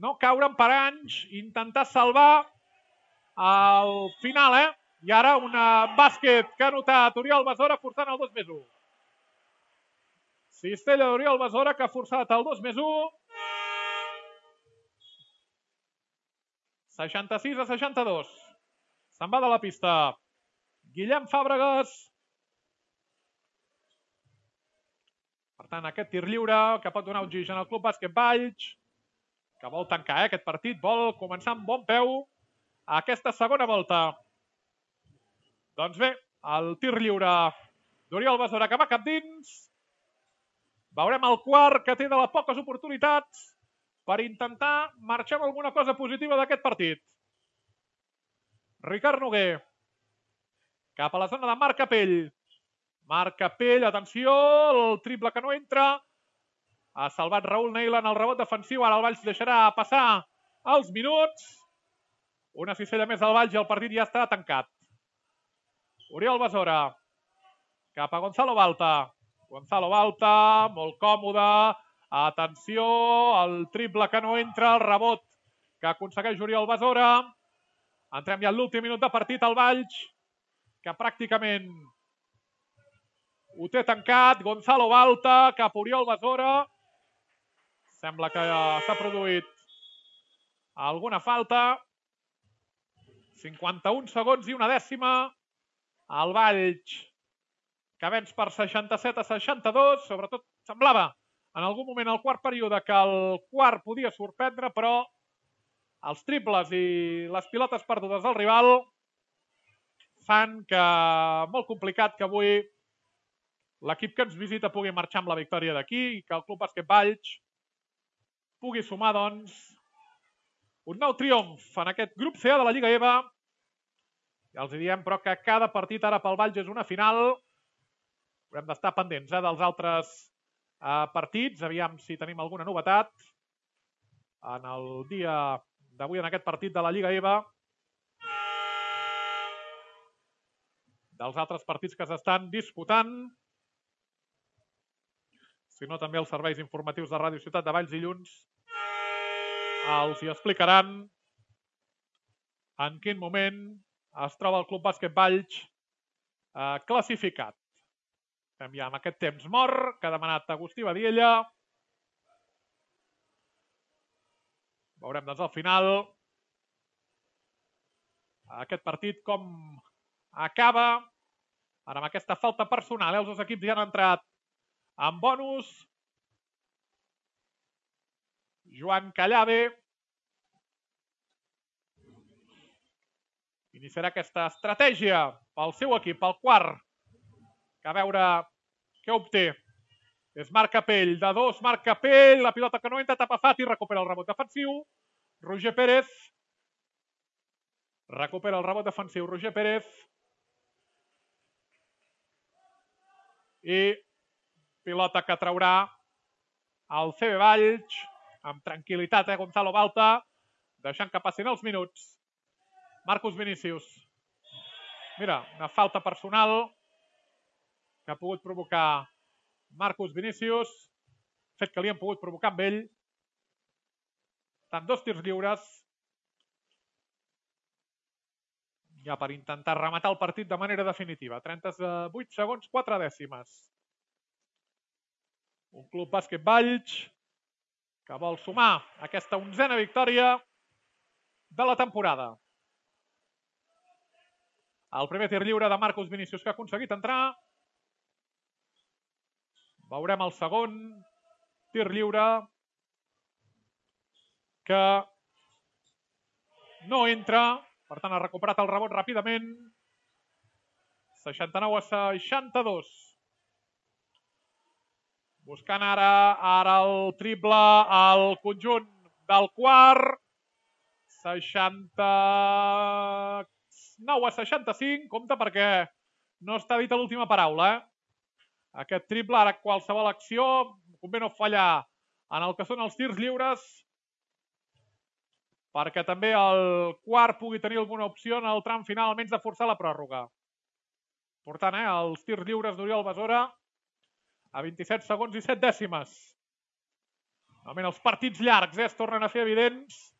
no caure en paranys, intentar salvar al final, eh? I ara un bàsquet que ha notat Oriol Besora forçant el dos més u. Cistella d'Oriol Besora que ha forçat el dos més u. seixanta-sis a seixanta-dos. Se'n va de la pista Guillem Fàbregas. Per tant, aquest tir lliure que pot donar oxigen al Club Bàsquet Valls, que vol tancar eh, aquest partit, vol començar amb bon peu a aquesta segona volta. Doncs bé, el tir lliure d'Oriol Besora que va cap dins. Veurem el quart que té de les poques oportunitats per intentar marxar amb alguna cosa positiva d'aquest partit. Ricard Noguer. Cap a la zona de Marc Capell. Marc Capell, atenció, el triple que no entra. Ha salvat Raül Neila en el rebot defensiu. Ara el Valls deixarà passar els minuts. Una cistella més al Valls i el partit ja està tancat. Oriol Besora. Cap a Gonzalo Balta. Gonzalo Balta, molt còmode. Atenció, el triple que no entra, el rebot que aconsegueix Oriol Besora. Entrem ja en l'últim minut de partit al Valls, que pràcticament ho té tancat. Gonzalo Balta cap a Oriol Besora. Sembla que s'ha produït alguna falta. cinquanta-un segons i una dècima. El Valls que venç per seixanta-set a seixanta-dos. Sobretot semblava en algun moment al quart període que el quart podia sorprendre, però els triples i les pilotes perdudes del rival fan que molt complicat que avui l'equip que ens visita pugui marxar amb la victòria d'aquí i que el Club Bàsquet Valls pugui sumar, doncs, un nou triomf en aquest grup C de la Lliga E V A. Ja els diem, però, que cada partit ara pel Valls és una final. Haurem d'estar pendents eh, dels altres eh, partits. Aviam si tenim alguna novetat en el dia d'avui en aquest partit de la Lliga E V A. Dels altres partits que s'estan disputant. Si no, també els serveis informatius de Ràdio Ciutat de Valls dilluns els hi explicaran en quin moment es troba el Club Bàsquet Valls eh, classificat. Estem ja amb aquest temps mort que ha demanat Agustí Badiella. Veurem doncs al final aquest partit com acaba. Ara amb aquesta falta personal, eh? Els dos equips ja han entrat en bonus. Joan Callave iniciarà aquesta estratègia pel seu equip, pel quart, que a veure què obté. És Marc Capell, de dos, Marc Capell, la pilota que no entra, tapa Fati, recupera el rebot defensiu. Roger Pérez recupera el rebot defensiu, Roger Pérez. I pilota que traurà el C B Valls amb tranquil·litat, eh, Gonzalo Balta, deixant que passin els minuts. Marcus Vinícius. Mira, una falta personal que ha pogut provocar Marcus Vinícius, fet que li han pogut provocar amb ell. Estan dos tirs lliures ja per intentar rematar el partit de manera definitiva. trenta-vuit segons, quatre dècimes. Un Club Bàsquet Valls que vol sumar aquesta onzena victòria de la temporada. El primer tir lliure de Marcus Vinícius que ha aconseguit entrar. Veurem el segon tir lliure que no entra. Per tant, ha recuperat el rebot ràpidament. seixanta-nou a seixanta-dos. Buscant ara, ara el triple al conjunt del quart. seixanta-nou a seixanta-cinc. Compte perquè no està dita l'última paraula. Eh? Aquest triple, ara qualsevol acció, convé no fallar en el que són els tirs lliures, perquè també el quart pugui tenir alguna opció en el tram final, almenys de forçar la pròrroga. Per tant, eh, els tirs lliures d'Oriol Besora a vint-i-set segons i set dècimes. Normalment els partits llargs eh, es tornen a fer evidents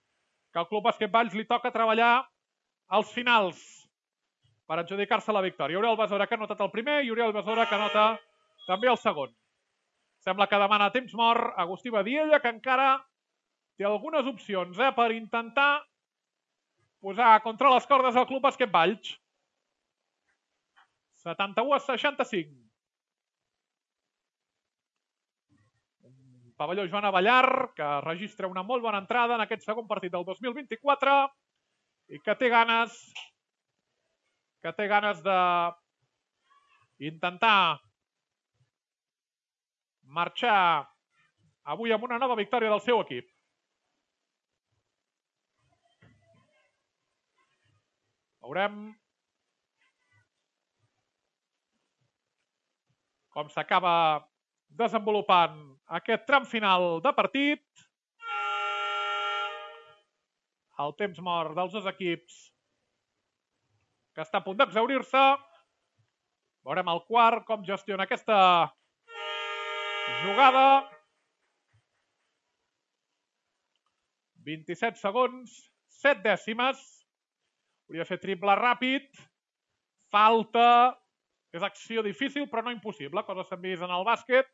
que al Club Bàsquet Valls li toca treballar als finals per adjudicar-se la victòria. Oriol Besora que ha notat el primer i Oriol Besora que nota també el segon. Sembla que demana temps mort Agustí Badiella, que encara té algunes opcions eh, per intentar posar contra les cordes el Club Bàsquet Valls. setanta-u a seixanta-cinc. Pavelló Joan Avellar, que registra una molt bona entrada en aquest segon partit del dos mil vint-i-quatre i que té ganes que té ganes de intentar marxar avui amb una nova victòria del seu equip. Veurem com s'acaba desenvolupant aquest tram final de partit. El temps mort dels dos equips que està a punt d'exhaurir-se. Veurem el quart com gestiona aquesta jugada. vint-i-set segons, set dècimes. Hauria de fer triple ràpid. Falta. És acció difícil, però no impossible. Coses s'han vist en el bàsquet.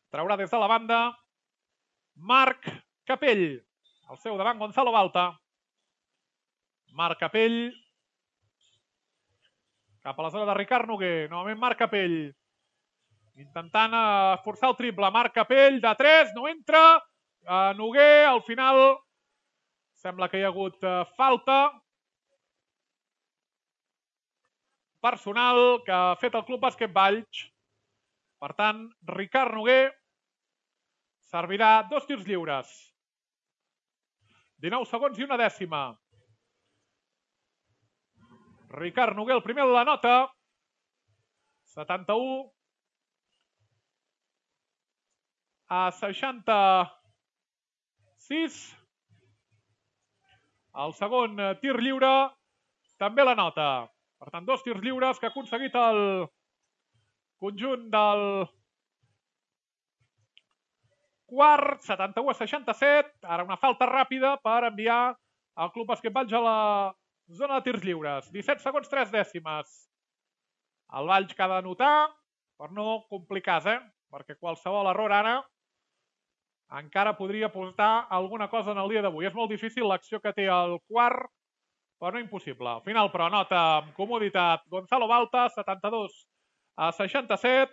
Traurà des de la banda Marc Capell. Al seu davant, Gonzalo Balta. Marc Capell. Cap a la zona de Ricard Noguer. Novament Marc Capell. Intentant forçar el triple. Marc Capell de tres. No entra. Uh, Noguer, al final, sembla que hi ha hagut uh, falta personal que ha fet el Club Bàsquet Valls. Per tant, Ricard Noguer servirà dos tirs lliures. dinou segons i una dècima. Ricard Noguer, el primer la nota. setanta-u a seixanta-sis. El segon tir lliure també la nota. Per tant, dos tirs lliures que ha aconseguit el conjunt del quart, setanta-u a seixanta-set. Ara una falta ràpida per enviar el Club Bàsquet Valls a la zona de tirs lliures. disset segons, tres dècimes. El Valls que ha d'anotar per no complicar-se, eh? Perquè qualsevol error ara encara podria portar alguna cosa en el dia d'avui. És molt difícil l'acció que té el quart, però no impossible. Al final, però, nota amb comoditat Gonzalo Balta, setanta-dos a seixanta-set.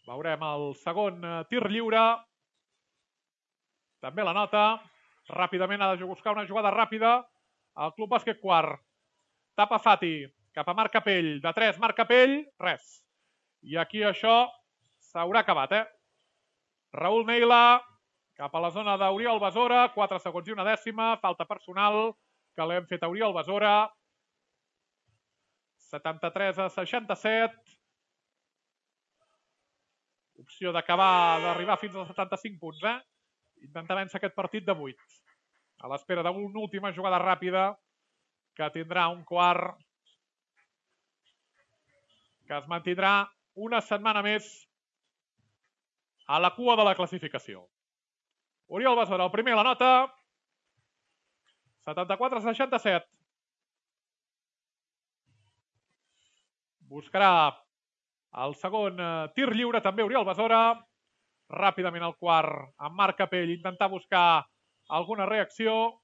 Veurem el segon tir lliure. També la nota. Ràpidament ha de buscar una jugada ràpida al Club Bàsquet Quart. Tapa Fati, cap a Marc Capell. De tres, Marc Capell, res. I aquí això s'haurà acabat, eh? Raül Meila, cap a la zona d'Oriol Besora, quatre segons i una dècima, falta personal que l'hem fet a Oriol Besora. setanta-tres a seixanta-set. Opció d'acabar, d'arribar fins als setanta-cinc punts, eh? Intentar vèncer aquest partit de vuit. A l'espera d'una última jugada ràpida que tindrà un quart que es mantindrà una setmana més a la cua de la classificació. Oriol Besora, el primer, la nota. setanta-quatre a seixanta-set. Buscarà el segon tir lliure, també Oriol Besora. Ràpidament el quart amb Marc Capell, intentar buscar alguna reacció.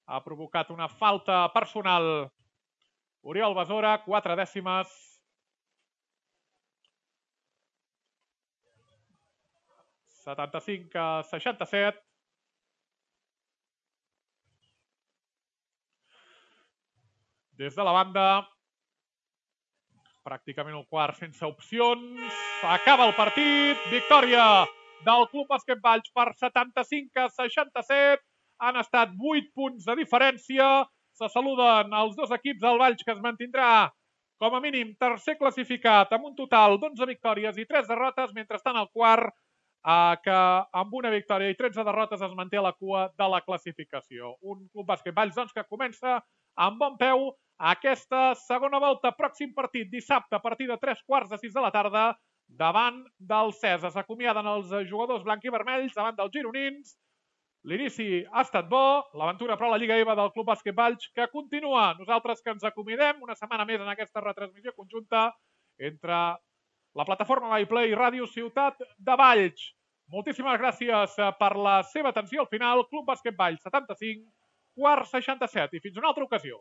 Ha provocat una falta personal Oriol Besora, quatre dècimes. setanta-cinc a seixanta-set. Des de la banda, pràcticament el quart sense opcions. Acaba el partit. Victòria del Club Bàsquet Valls per setanta-cinc a seixanta-set. Han estat vuit punts de diferència. Se saluden els dos equips del Valls, que es mantindrà com a mínim tercer classificat amb un total d'onze victòries i tres derrotes, mentrestant el quart, eh, que amb una victòria i tretze derrotes es manté a la cua de la classificació. Un Club Bàsquet Valls, doncs, que comença amb bon peu aquesta segona volta. Pròxim partit dissabte a partir de tres quarts de sis de la tarda davant del Cesa. S'acomiaden els jugadors blanc-i-vermells davant dels gironins. L'inici ha estat bo, l'aventura però a la Lliga EVA del Club Bàsquet Valls que continua. Nosaltres que ens acomiadem una setmana més en aquesta retransmissió conjunta entre la plataforma MyPlay i Ràdio Ciutat de Valls. Moltíssimes gràcies per la seva atenció al final. Club Bàsquet Valls setanta-cinc, quart seixanta-set. I fins una altra ocasió.